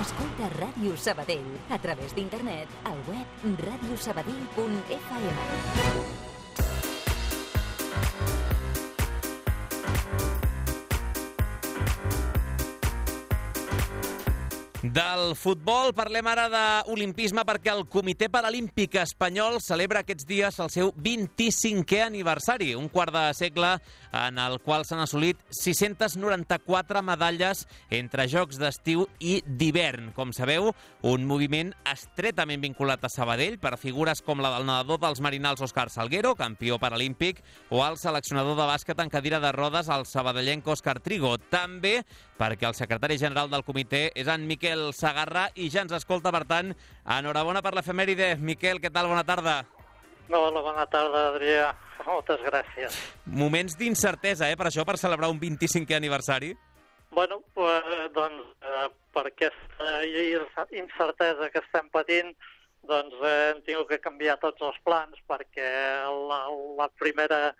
Escolta Ràdio Sabadell a través d'internet al web radio sabadell punt f m. Del futbol parlem ara d'olimpisme perquè el Comitè Paralímpic Espanyol celebra aquests dies el seu vint-i-cinquè aniversari, un quart de segle en el qual s'han assolit sis-centes noranta-quatre medalles entre Jocs d'estiu i d'hivern. Com sabeu, un moviment estretament vinculat a Sabadell per figures com la del nedador dels Marinals Òscar Salguero, campió paralímpic, o el seleccionador de bàsquet en cadira de rodes, el sabadellenc Òscar Trigo. També perquè el secretari general del comitè és en Miquel Sagarra i ja ens escolta, per tant, enhorabona per l'efemèride. Miquel, què tal? Bona tarda. Hola, bona tarda, Adrià. Moltes gràcies. Moments d'incertesa, eh, per això, per celebrar un vint-i-cinquè aniversari? Bueno, pues, doncs, eh, per aquesta incertesa que estem patint, doncs eh, hem tingut que canviar tots els plans, perquè la, la primera...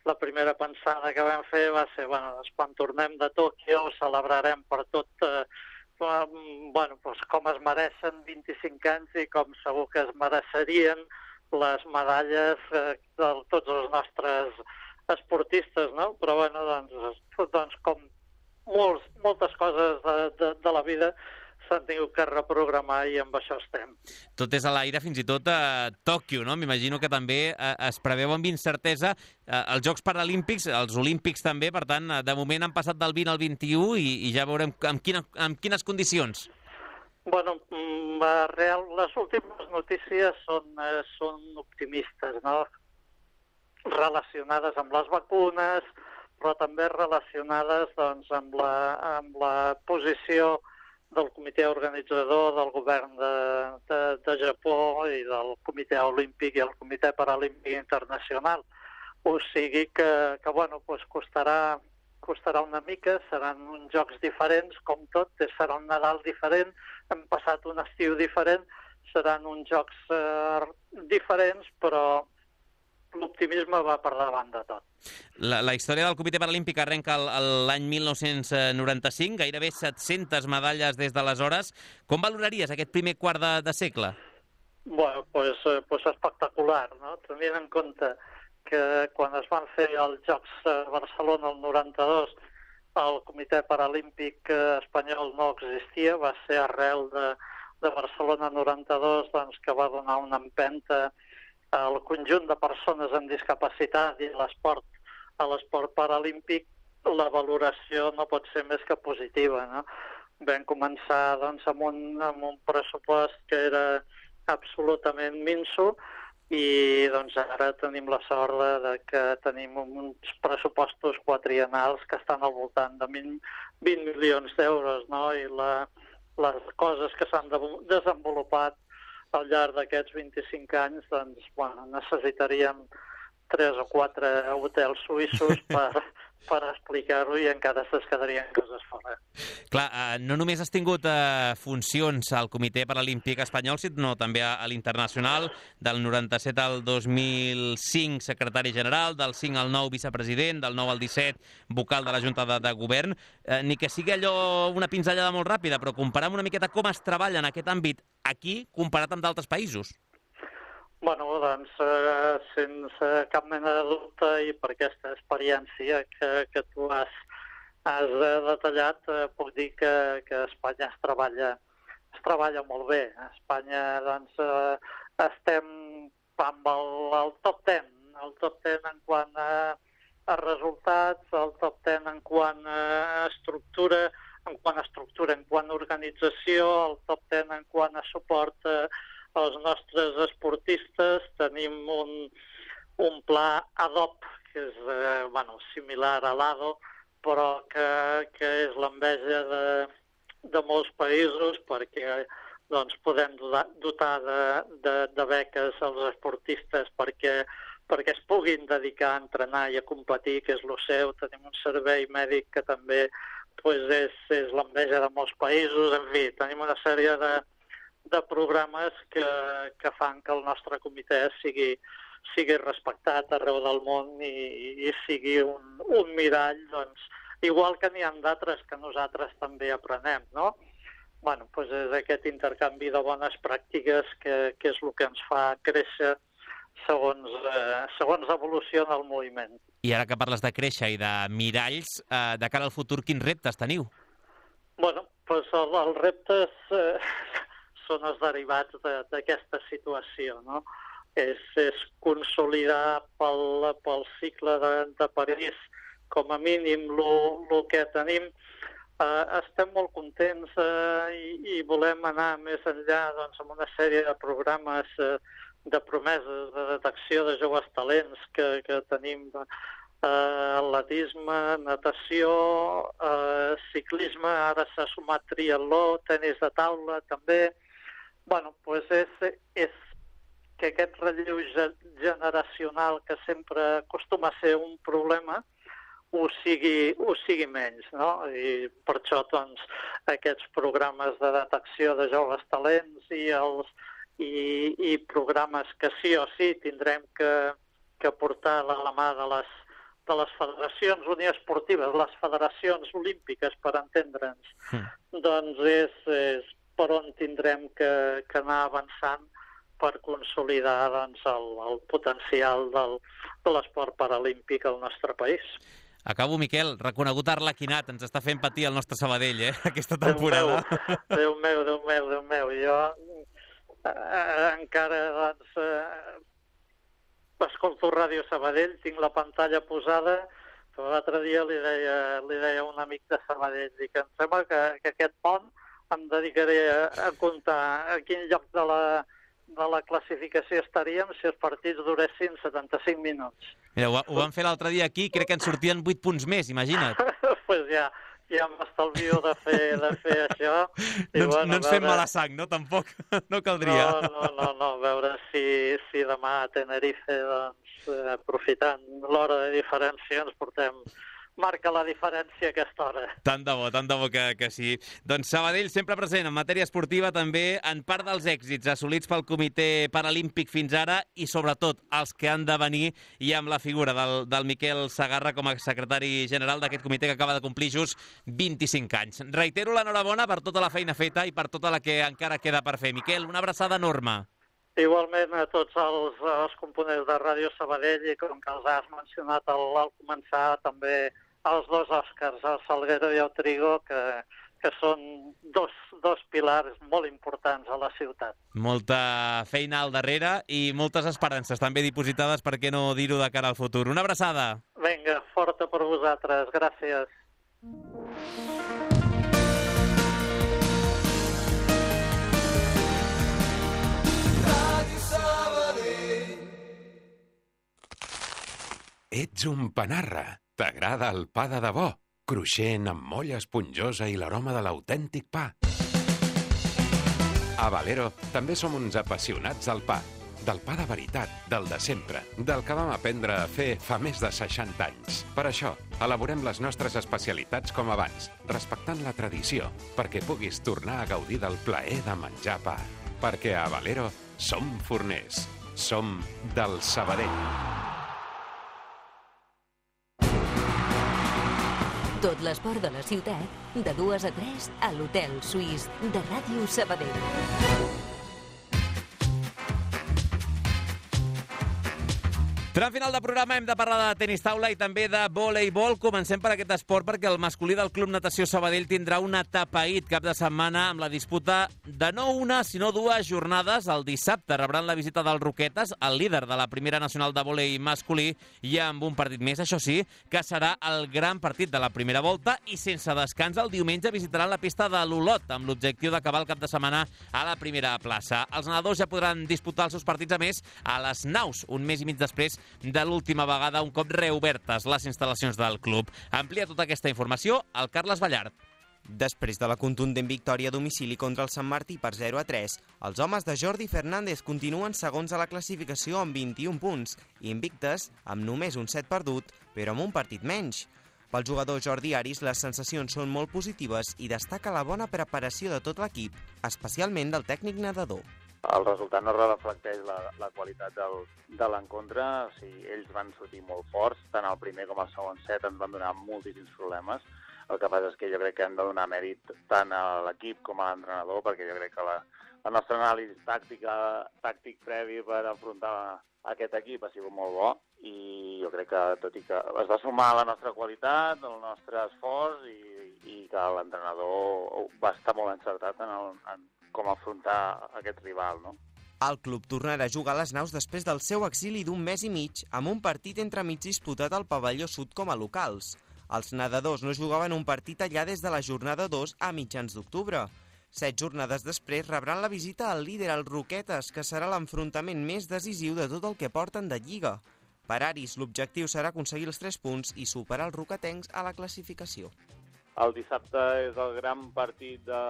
La primera pensada que vam fer va ser, bueno, doncs quan tornem de Tòquio celebrarem per tot, eh, bueno, doncs com es mereixen vint-i-cinc anys i com segur que es mereixerien les medalles eh, de tots els nostres esportistes, no? Però, bueno, doncs, doncs com molts, moltes coses de, de, de la vida s'han tingut que reprogramar i amb això estem. Tot és a l'aire, fins i tot a Tòquio, no? M'imagino que també eh, es preveu amb incertesa eh, els Jocs Paralímpics, els Olímpics també, per tant, de moment han passat del vint al vint-i-u i, i ja veurem amb, quina, amb quines condicions. Bueno, real, les últimes notícies són, eh, són optimistes, no? Relacionades amb les vacunes, però també relacionades doncs, amb, la, amb la posició del comitè organitzador, del govern de, de, de Japó i del comitè olímpic i el comitè paralímpic internacional. O sigui que, que bueno, pues costarà, costarà una mica, seran uns jocs diferents, com tot, serà un Nadal diferent, hem passat un estiu diferent, seran uns jocs eh, diferents, però l'optimisme va per davant de tot. La, la història del Comitè Paralímpic arrenca l'any mil nou-cents noranta-cinc, gairebé set-centes medalles des d'aleshores. Com valoraries aquest primer quart de, de segle? Bueno, pues, pues espectacular, no? Tenint en compte que quan es van fer els Jocs a Barcelona el noranta-dos, el Comitè Paralímpic Espanyol no existia, va ser arrel de, de Barcelona noranta-dos doncs, que va donar una empenta al conjunt de persones amb discapacitat i l'esport, a l'esport paralímpic, la valoració no pot ser més que positiva, no? Vam començar doncs, amb, un, amb un pressupost que era absolutament minso i doncs, ara tenim la sort de, de que tenim uns pressupostos quadriennals que estan al voltant de vint milions d'euros, no? I la, les coses que s'han desenvolupat al llarg d'aquests vint-i-cinc anys, doncs, bueno, necessitaríem tres o quatre hotels suïssos per, per explicar-ho i encara se'ns quedarien coses fora. Clar, eh, no només has tingut eh, funcions al Comitè Paralímpic Espanyol, sinó també a, a l'internacional, del noranta-set al dos mil cinc secretari general, del cinc al nou vicepresident, del nou al disset vocal de la Junta de, de Govern. Eh, ni que sigui allò una pinzellada molt ràpida, però comparem una miqueta com es treballa en aquest àmbit aquí comparat amb d'altres països. Bueno, doncs, eh, sense cap mena de dubte i per aquesta experiència que, que tu has, has detallat, eh, puc dir que, que a Espanya es treballa, es treballa molt bé. A Espanya, doncs, eh, estem amb el, el top ten, el top ten en quant a, a resultats, el top ten en quant a estructura, en quant a estructura, en quant a organització, el top ten en quant a suport eh, els nostres esportistes. Tenim un, un pla ad hoc, que és eh, bueno, similar a l'ADO, però que, que és l'enveja de, de molts països, perquè doncs, podem dotar de, de, de beques als esportistes perquè, perquè es puguin dedicar a entrenar i a competir, que és el seu. Tenim un servei mèdic que també pues, és, és l'enveja de molts països. En fi, tenim una sèrie de de programes que, que fan que el nostre comitè sigui, sigui respectat arreu del món i, i sigui un, un mirall, doncs, igual que n'hi ha d'altres que nosaltres també aprenem, no? Bueno, doncs és aquest intercanvi de bones pràctiques que, que és el que ens fa créixer segons, eh, segons evoluciona el moviment. I ara que parles de créixer i de miralls, eh, de cara al futur, quins reptes teniu? Bueno, pues el, els reptes eh, són els derivats d'aquesta de, situació, no? És, és consolidar pel, pel cicle de, de París com a mínim el que tenim. Uh, estem molt contents uh, i, i volem anar més enllà doncs, amb una sèrie de programes uh, de promeses de detecció de joves talents que, que tenim, uh, atletisme, natació, uh, ciclisme, ara s'ha sumat triatló, tenis de taula també. Bueno, pues és, és que aquest relleu generacional que sempre acostuma a ser un problema ho sigui, ho sigui menys, no? I per això, doncs, aquests programes de detecció de joves talents i, els, i, i programes que sí o sí tindrem que, que portar a la mà de les, de les federacions uniesportives, les federacions olímpiques, per entendre'ns, mm. doncs és, és per on tindrem que, que anar avançant per consolidar doncs, el, el potencial del, de l'esport paralímpic al nostre país. Acabo, Miquel, reconegut arlequinat, ens està fent patir el nostre Sabadell, eh, aquesta temporada. Déu meu, Déu meu, Déu meu, jo eh, encara, doncs, eh, escolto Ràdio Sabadell, tinc la pantalla posada, però l'altre dia li deia, li deia a un amic de Sabadell, dic, em sembla que, que aquest pont em dedicaré a, a comptar a quin lloc de la, de la classificació estaríem si els partits duressin setanta-cinc minuts. Mira, ho, ho vam fer l'altre dia aquí, crec que en sortien vuit punts més, imagina't. Doncs pues ja, ja m'estalvio de fer, de fer això. I, no, bueno, no ens veure... fem mala sang, no? Tampoc, no caldria. No, no, no, no. veure si, si demà a Tenerife, doncs, eh, aprofitant l'hora de diferència, ens portem... marca la diferència a aquesta hora. Tant de bo, tant de bo que, que sí. Doncs Sabadell sempre present en matèria esportiva, també en part dels èxits assolits pel Comitè Paralímpic fins ara i sobretot els que han de venir i amb la figura del, del Miquel Segarra com a secretari general d'aquest comitè que acaba de complir just vint-i-cinc anys. Reitero l'enhorabona per tota la feina feta i per tota la que encara queda per fer. Miquel, una abraçada enorme. Igualment a tots els, els components de Ràdio Sabadell i com que els has mencionat al, al començar també els dos Òscars, el Salguero i el Trigo, que, que són dos, dos pilars molt importants a la ciutat. Molta feina al darrere i moltes esperances també dipositades, per què no dir-ho, de cara al futur. Una abraçada. Vinga, forta per vosaltres. Gràcies. Ets un panarra. T'agrada el pa de debò, cruixent amb molla esponjosa i l'aroma de l'autèntic pa. A Valero també som uns apassionats del pa. Del pa de veritat, del de sempre, del que vam aprendre a fer fa més de seixanta anys. Per això, elaborem les nostres especialitats com abans, respectant la tradició, perquè puguis tornar a gaudir del plaer de menjar pa. Perquè a Valero som forners, som del Sabadell. Tot l'esport de la ciutat, de dues a tres, a l'Hotel Suís de Ràdio Sabadell. Tram final de programa, hem de parlar de tenis taula i també de voleibol. Comencem per aquest esport perquè el masculí del Club Natació Sabadell tindrà un atapeït cap de setmana amb la disputa de no una, sinó dues jornades. El dissabte rebran la visita dels Roquetes, el líder de la primera nacional de vòlei masculí, i amb un partit més, això sí, que serà el gran partit de la primera volta i sense descans el diumenge visitaran la pista de l'Olot amb l'objectiu d'acabar el cap de setmana a la primera plaça. Els nedadors ja podran disputar els seus partits, a més, a les naus, un mes i mig després de l'última vegada, un cop reobertes les instal·lacions del club. Amplia tota aquesta informació el Carles Ballart. Després de la contundent victòria a domicili contra el Sant Martí per zero a tres, els homes de Jordi Fernández continuen segons a la classificació amb vint-i-un punts i invictes amb només un set perdut, però amb un partit menys. Pel jugador Jordi Aris, les sensacions són molt positives i destaca la bona preparació de tot l'equip, especialment del tècnic nedador. El resultat no reflecteix la, la qualitat del, de l'encontre. O sigui, ells van sortir molt forts, tant al primer com al segon set ens van donar moltíssims problemes. El que passa és que jo crec que hem de donar mèrit tant a l'equip com a l'entrenador, perquè jo crec que la, la nostra anàlisi tàctica, tàctic previ per afrontar aquest equip ha sigut molt bo i jo crec que, tot i que es va sumar a la nostra qualitat, el nostre esforç i, i que l'entrenador va estar molt encertat en, el, en com afrontar aquest rival, no? El club tornarà a jugar a les Naus després del seu exili d'un mes i mig amb un partit entremig disputat al pavelló sud com a locals. Els nedadors no jugaven un partit allà des de la jornada dos a mitjans d'octubre. Set jornades després rebran la visita al líder, el Roquetes, que serà l'enfrontament més decisiu de tot el que porten de Lliga. Per Aris, l'objectiu serà aconseguir els tres punts i superar els roquetencs a la classificació. El dissabte és el gran partit de,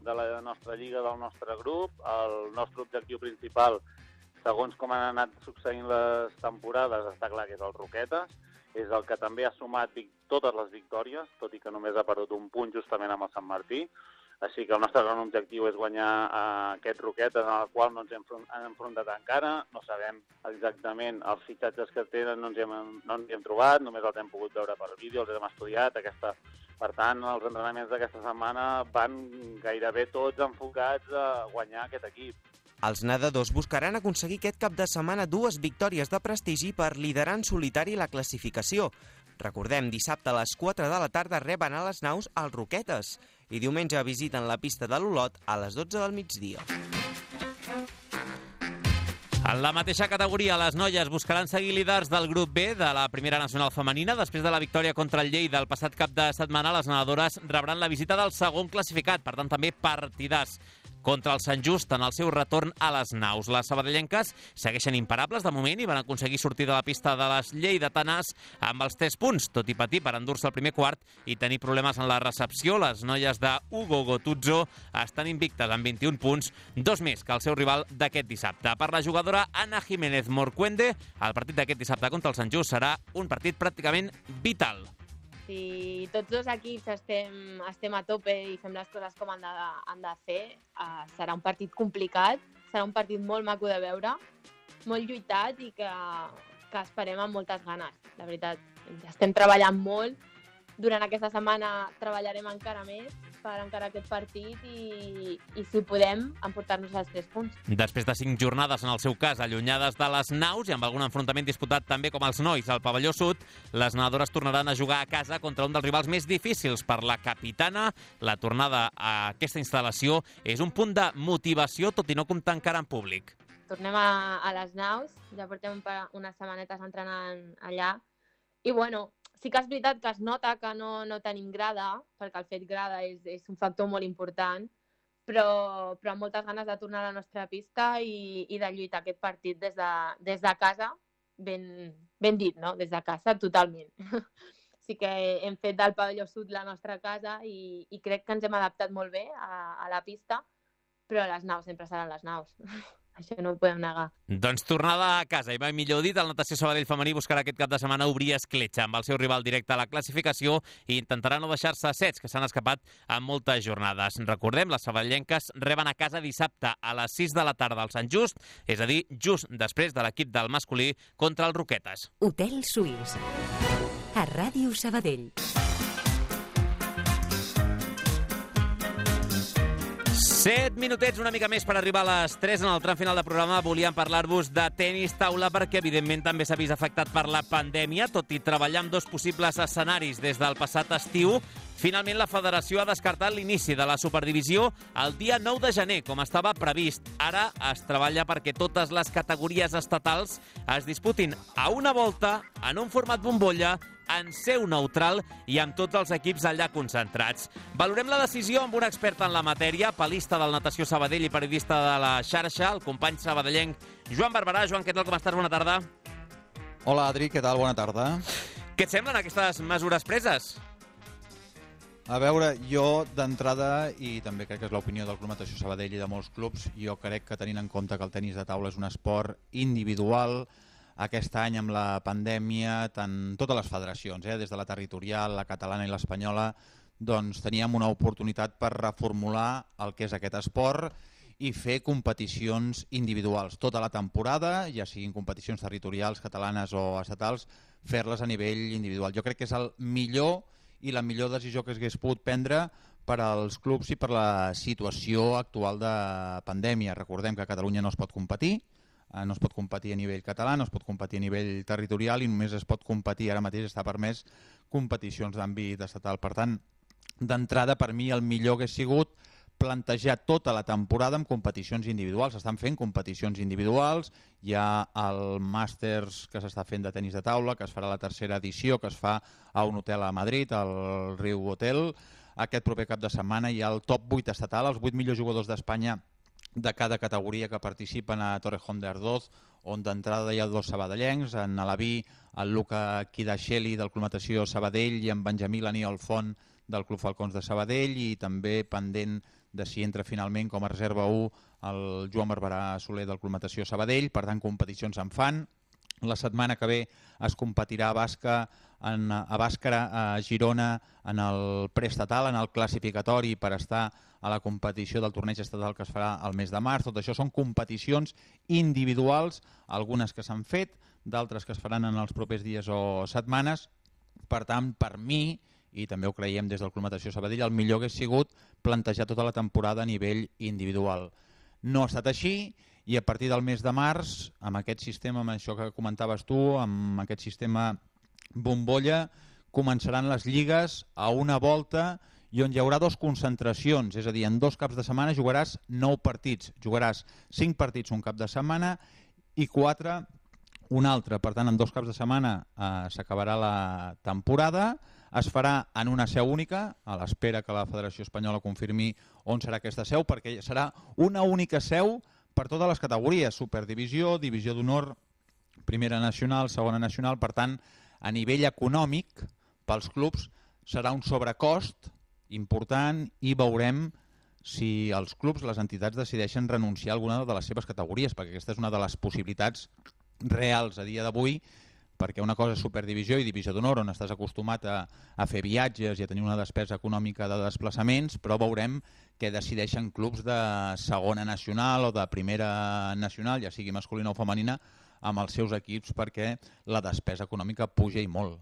de la nostra lliga, del nostre grup. El nostre objectiu principal, segons com han anat succeint les temporades, està clar que és el Roquetes. És el que també ha sumat totes les victòries, tot i que només ha perdut un punt justament amb el Sant Martí. Així que el nostre gran objectiu és guanyar uh, aquest Roquetes, en el qual no ens hem enfrontat encara. No sabem exactament els fitxatges que tenen, no ens hem, no ens hem trobat, només els hem pogut veure per vídeo, els hem estudiat. Aquesta, per tant, els entrenaments d'aquesta setmana van gairebé tots enfocats a guanyar aquest equip. Els nedadors buscaran aconseguir aquest cap de setmana dues victòries de prestigi per liderar en solitari la classificació. Recordem, dissabte a les quatre de la tarda reben a les Naus els Roquetes i diumenge visiten la pista de l'Olot a les dotze del migdia. En la mateixa categoria, les noies buscaran seguir líders del grup B de la Primera Nacional Femenina. Després de la victòria contra el Lleida el passat cap de setmana, les nedadores rebran la visita del segon classificat, per tant també partidars contra el Sant Just en el seu retorn a les Naus. Les sabadellenques segueixen imparables de moment i van aconseguir sortir de la pista de les lleidatanes amb els tres punts, tot i patir per endur-se el primer quart i tenir problemes en la recepció. Les noies de Hugo Gotuzzo estan invictes amb vint-i-un punts, dos més que el seu rival d'aquest dissabte. Per la jugadora Ana Jiménez Morcuende, el partit d'aquest dissabte contra el Sant Just serà un partit pràcticament vital. Si tots dos equips estem, estem a tope i fem les coses com han de, han de fer, uh, serà un partit complicat, serà un partit molt maco de veure, molt lluitat i que, que esperem amb moltes ganes. La veritat, estem treballant molt. Durant aquesta setmana treballarem encara més per encarar aquest partit i, i si podem, emportar-nos els tres punts. Després de cinc jornades, en el seu cas, allunyades de les Naus i amb algun enfrontament disputat també com els nois al pavelló sud, les nedadores tornaran a jugar a casa contra un dels rivals més difícils per la capitana. La tornada a aquesta instal·lació és un punt de motivació, tot i no comptar encara en públic. Tornem a, a les Naus, ja portem unes setmanetes entrenant allà i, bueno, sí que és veritat que es nota que no, no tenim grada, perquè el fet grada és, és un factor molt important, però, però amb moltes ganes de tornar a la nostra pista i, i de lluitar aquest partit des de, des de casa, ben, ben dit, no? Des de casa, totalment. Sí que hem fet del pavelló sud la nostra casa i, i crec que ens hem adaptat molt bé a, a la pista, però les Naus sempre seran les Naus. Això no ho podem negar. Doncs tornada a casa, i mai millor dit, el Natació Sabadell femení buscarà aquest cap de setmana obrir escletxa amb el seu rival directe a la classificació i intentarà no deixar-se sets, que s'han escapat en moltes jornades. Recordem, les sabadellenques reben a casa dissabte a les sis de la tarda al Sant Just, és a dir, just després de l'equip del masculí contra els Roquetes. Hotel Suís, a Ràdio Sabadell. Set minutets, una mica més per arribar a les tres. En el tram final del programa volíem parlar-vos de tenis taula perquè, evidentment, també s'ha vist afectat per la pandèmia. Tot i treballar amb dos possibles escenaris des del passat estiu, finalment la federació ha descartat l'inici de la Superdivisió el dia nou de gener, com estava previst. Ara es treballa perquè totes les categories estatals es disputin a una volta, en un format bombolla, en seu neutral i amb tots els equips allà concentrats. Valorem la decisió amb un expert en la matèria, palista del Natació Sabadell i periodista de la xarxa, el company sabadellenc Joan Barberà. Joan, què tal, com estàs? Bona tarda. Hola, Adri, què tal? Bona tarda. Què et semblen aquestes mesures preses? A veure, jo d'entrada, i també crec que és l'opinió del Club Natació Sabadell i de molts clubs, jo crec que tenint en compte que el tenis de taula és un esport individual, aquest any amb la pandèmia, tant totes les federacions, eh, des de la territorial, la catalana i l'espanyola, doncs teníem una oportunitat per reformular el que és aquest esport i fer competicions individuals. Tota la temporada, ja siguin competicions territorials, catalanes o estatals, fer-les a nivell individual. Jo crec que és el millor i la millor decisió que s'hagués pogut prendre per als clubs i per la situació actual de pandèmia. Recordem que a Catalunya no es pot competir, no es pot competir a nivell català, no es pot competir a nivell territorial i només es pot competir, ara mateix està permès, competicions d'àmbit estatal. Per tant, d'entrada, per mi el millor hagués sigut plantejar tota la temporada amb competicions individuals. S'estan fent competicions individuals, hi ha el Màsters que s'està fent de tenis de taula, que es farà la tercera edició, que es fa a un hotel a Madrid, al Riu Hotel. Aquest proper cap de setmana hi ha el top vuit estatal, els vuit millors jugadors d'Espanya de cada categoria que participen a Torrejón de Ardoz, on d'entrada hi ha dos sabadellencs, en Alaví, el Luca Kidaxeli del Club Natació Sabadell i en Benjamí Laniol Font del Club Falcons de Sabadell, i també pendent de si entra finalment com a reserva u el Joan Barberà Soler del Club Natació Sabadell. Per tant, competicions en fan. La setmana que ve es competirà a Bàscara, en, a Bàscara, a Girona, en el preestatal, en el classificatori per estar a la competició del torneig estatal que es farà al mes de març. Tot això són competicions individuals, algunes que s'han fet, d'altres que es faran en els propers dies o setmanes. Per tant, per mi, i també ho creiem des del Club Natació Sabadell, el millor hagués sigut plantejar tota la temporada a nivell individual. No ha estat així, i a partir del mes de març, amb aquest sistema, amb això que comentaves tu, amb aquest sistema bombolla, començaran les lligues a una volta i on hi haurà dos concentracions, és a dir, en dos caps de setmana jugaràs nou partits, jugaràs cinc partits un cap de setmana i quatre un altre. Per tant, en dos caps de setmana eh, s'acabarà la temporada, es farà en una seu única, a l'espera que la Federació Espanyola confirmi on serà aquesta seu, perquè serà una única seu per totes les categories, Superdivisió, Divisió d'Honor, Primera Nacional, Segona Nacional. Per tant, a nivell econòmic, pels clubs, serà un sobrecost important i veurem si els clubs, les entitats, decideixen renunciar a alguna de les seves categories, perquè aquesta és una de les possibilitats reals a dia d'avui, perquè una cosa és Superdivisió i Divisió d'Honor, on estàs acostumat a, a fer viatges i a tenir una despesa econòmica de desplaçaments, però veurem què decideixen clubs de segona nacional o de primera nacional, ja sigui masculina o femenina, amb els seus equips, perquè la despesa econòmica puja i molt.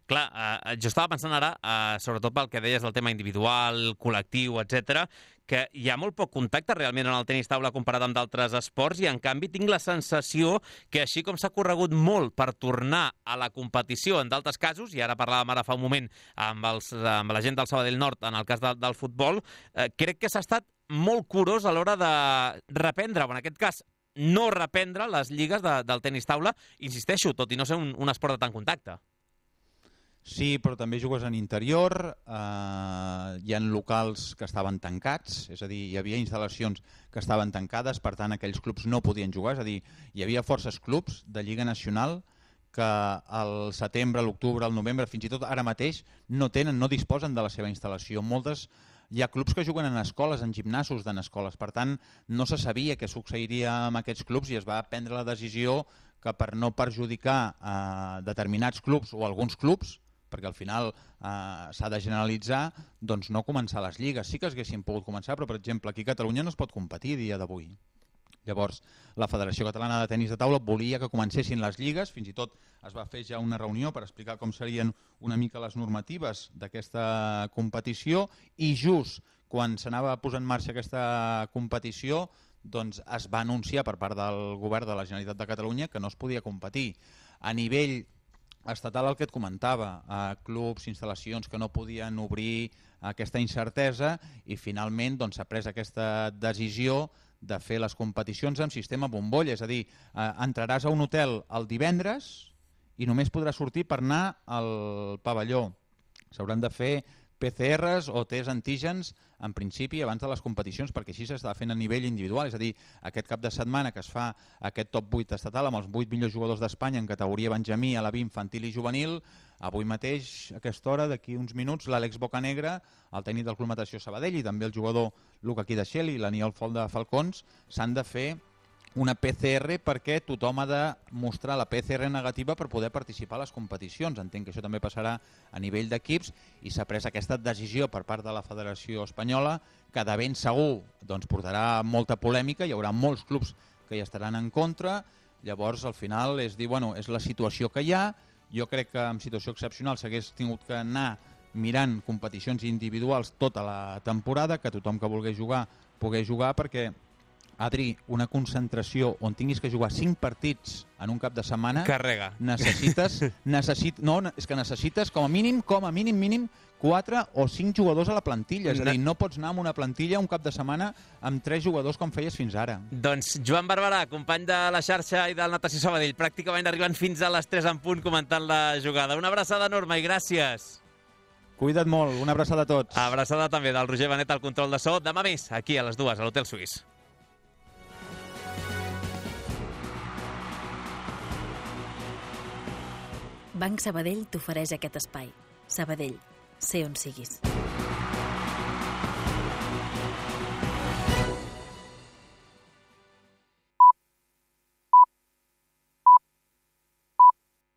Clar, eh, jo estava pensant ara, eh, sobretot pel que deies del tema individual, col·lectiu, etcètera, que hi ha molt poc contacte realment en el tenis taula comparat amb d'altres esports, i en canvi tinc la sensació que així com s'ha corregut molt per tornar a la competició en d'altres casos, i ara parlàvem ara fa un moment amb, els, amb la gent del Sabadell Nord en el cas de, del futbol, eh, crec que s'ha estat molt curós a l'hora de reprendre, o en aquest cas no reprendre les lligues de, del tenis taula, insisteixo, tot i no ser un, un esport de tant contacte. Sí, però també jugues en interior, eh, hi ha locals que estaven tancats, és a dir, hi havia instal·lacions que estaven tancades, per tant aquells clubs no podien jugar, és a dir, hi havia forces clubs de Lliga Nacional que al setembre, a l'octubre, al novembre, fins i tot ara mateix, no tenen, no disposen de la seva instal·lació. Moltes, hi ha clubs que juguen en escoles, en gimnasos d'en escoles, per tant no se sabia què succeiria amb aquests clubs i es va prendre la decisió que per no perjudicar eh, determinats clubs o alguns clubs, perquè al final eh, s'ha de generalitzar, doncs no començar les lligues. Sí que es haguessin pogut començar, però per exemple aquí a Catalunya no es pot competir a dia d'avui. Llavors, la Federació Catalana de Tenis de Taula volia que comencessin les lligues, fins i tot es va fer ja una reunió per explicar com serien una mica les normatives d'aquesta competició, i just quan s'anava a posar en marxa aquesta competició, doncs es va anunciar per part del govern de la Generalitat de Catalunya que no es podia competir. A nivell estatal, el que et comentava, a clubs, instal·lacions que no podien obrir aquesta incertesa, i finalment doncs, s'ha pres aquesta decisió de fer les competicions amb sistema bombolla, és a dir, eh, entraràs a un hotel el divendres i només podràs sortir per anar al pavelló. S'hauran de fer P C Rs o tests antígens en principi abans de les competicions, perquè així s'està fent a nivell individual, és a dir, aquest cap de setmana que es fa aquest top vuit estatal amb els vuit millors jugadors d'Espanya en categoria Benjamí, Alaví, infantil i juvenil, avui mateix, a aquesta hora, d'aquí uns minuts, l'Àlex Bocanegra, el tècnic del Club Natació Sabadell, i també el jugador Luca Kidaxeli i l'Aniol Font de Falcons, s'han de fer una P C R perquè tothom ha de mostrar la P C R negativa per poder participar a les competicions. Entenc que això també passarà a nivell d'equips, i s'ha pres aquesta decisió per part de la Federació Espanyola que de ben segur doncs, portarà molta polèmica, hi haurà molts clubs que hi estaran en contra. Llavors al final és dir, bueno, és la situació que hi ha. Jo crec que en situació excepcional s'hagués tingut que anar mirant competicions individuals tota la temporada, que tothom que volgués jugar pogués jugar, perquè Adri, una concentració on tinguis que jugar cinc partits en un cap de setmana... Carrega. Necessites... necessit, no, és que necessites com a mínim, com a mínim, mínim, quatre o cinc jugadors a la plantilla. És a dir, no pots anar amb una plantilla un cap de setmana amb tres jugadors com feies fins ara. Doncs Joan Barberà, company de la xarxa i del Natació Sabadell, pràcticament arribant fins a les tres en punt comentant la jugada. Una abraçada enorme i gràcies. Cuida't molt, una abraçada a tots. Abraçada també del Roger Benet al control de so. Demà més, aquí a les dues, a l'Hotel Suís. Banc Sabadell t'ofereix aquest espai. Sabadell, sé on siguis.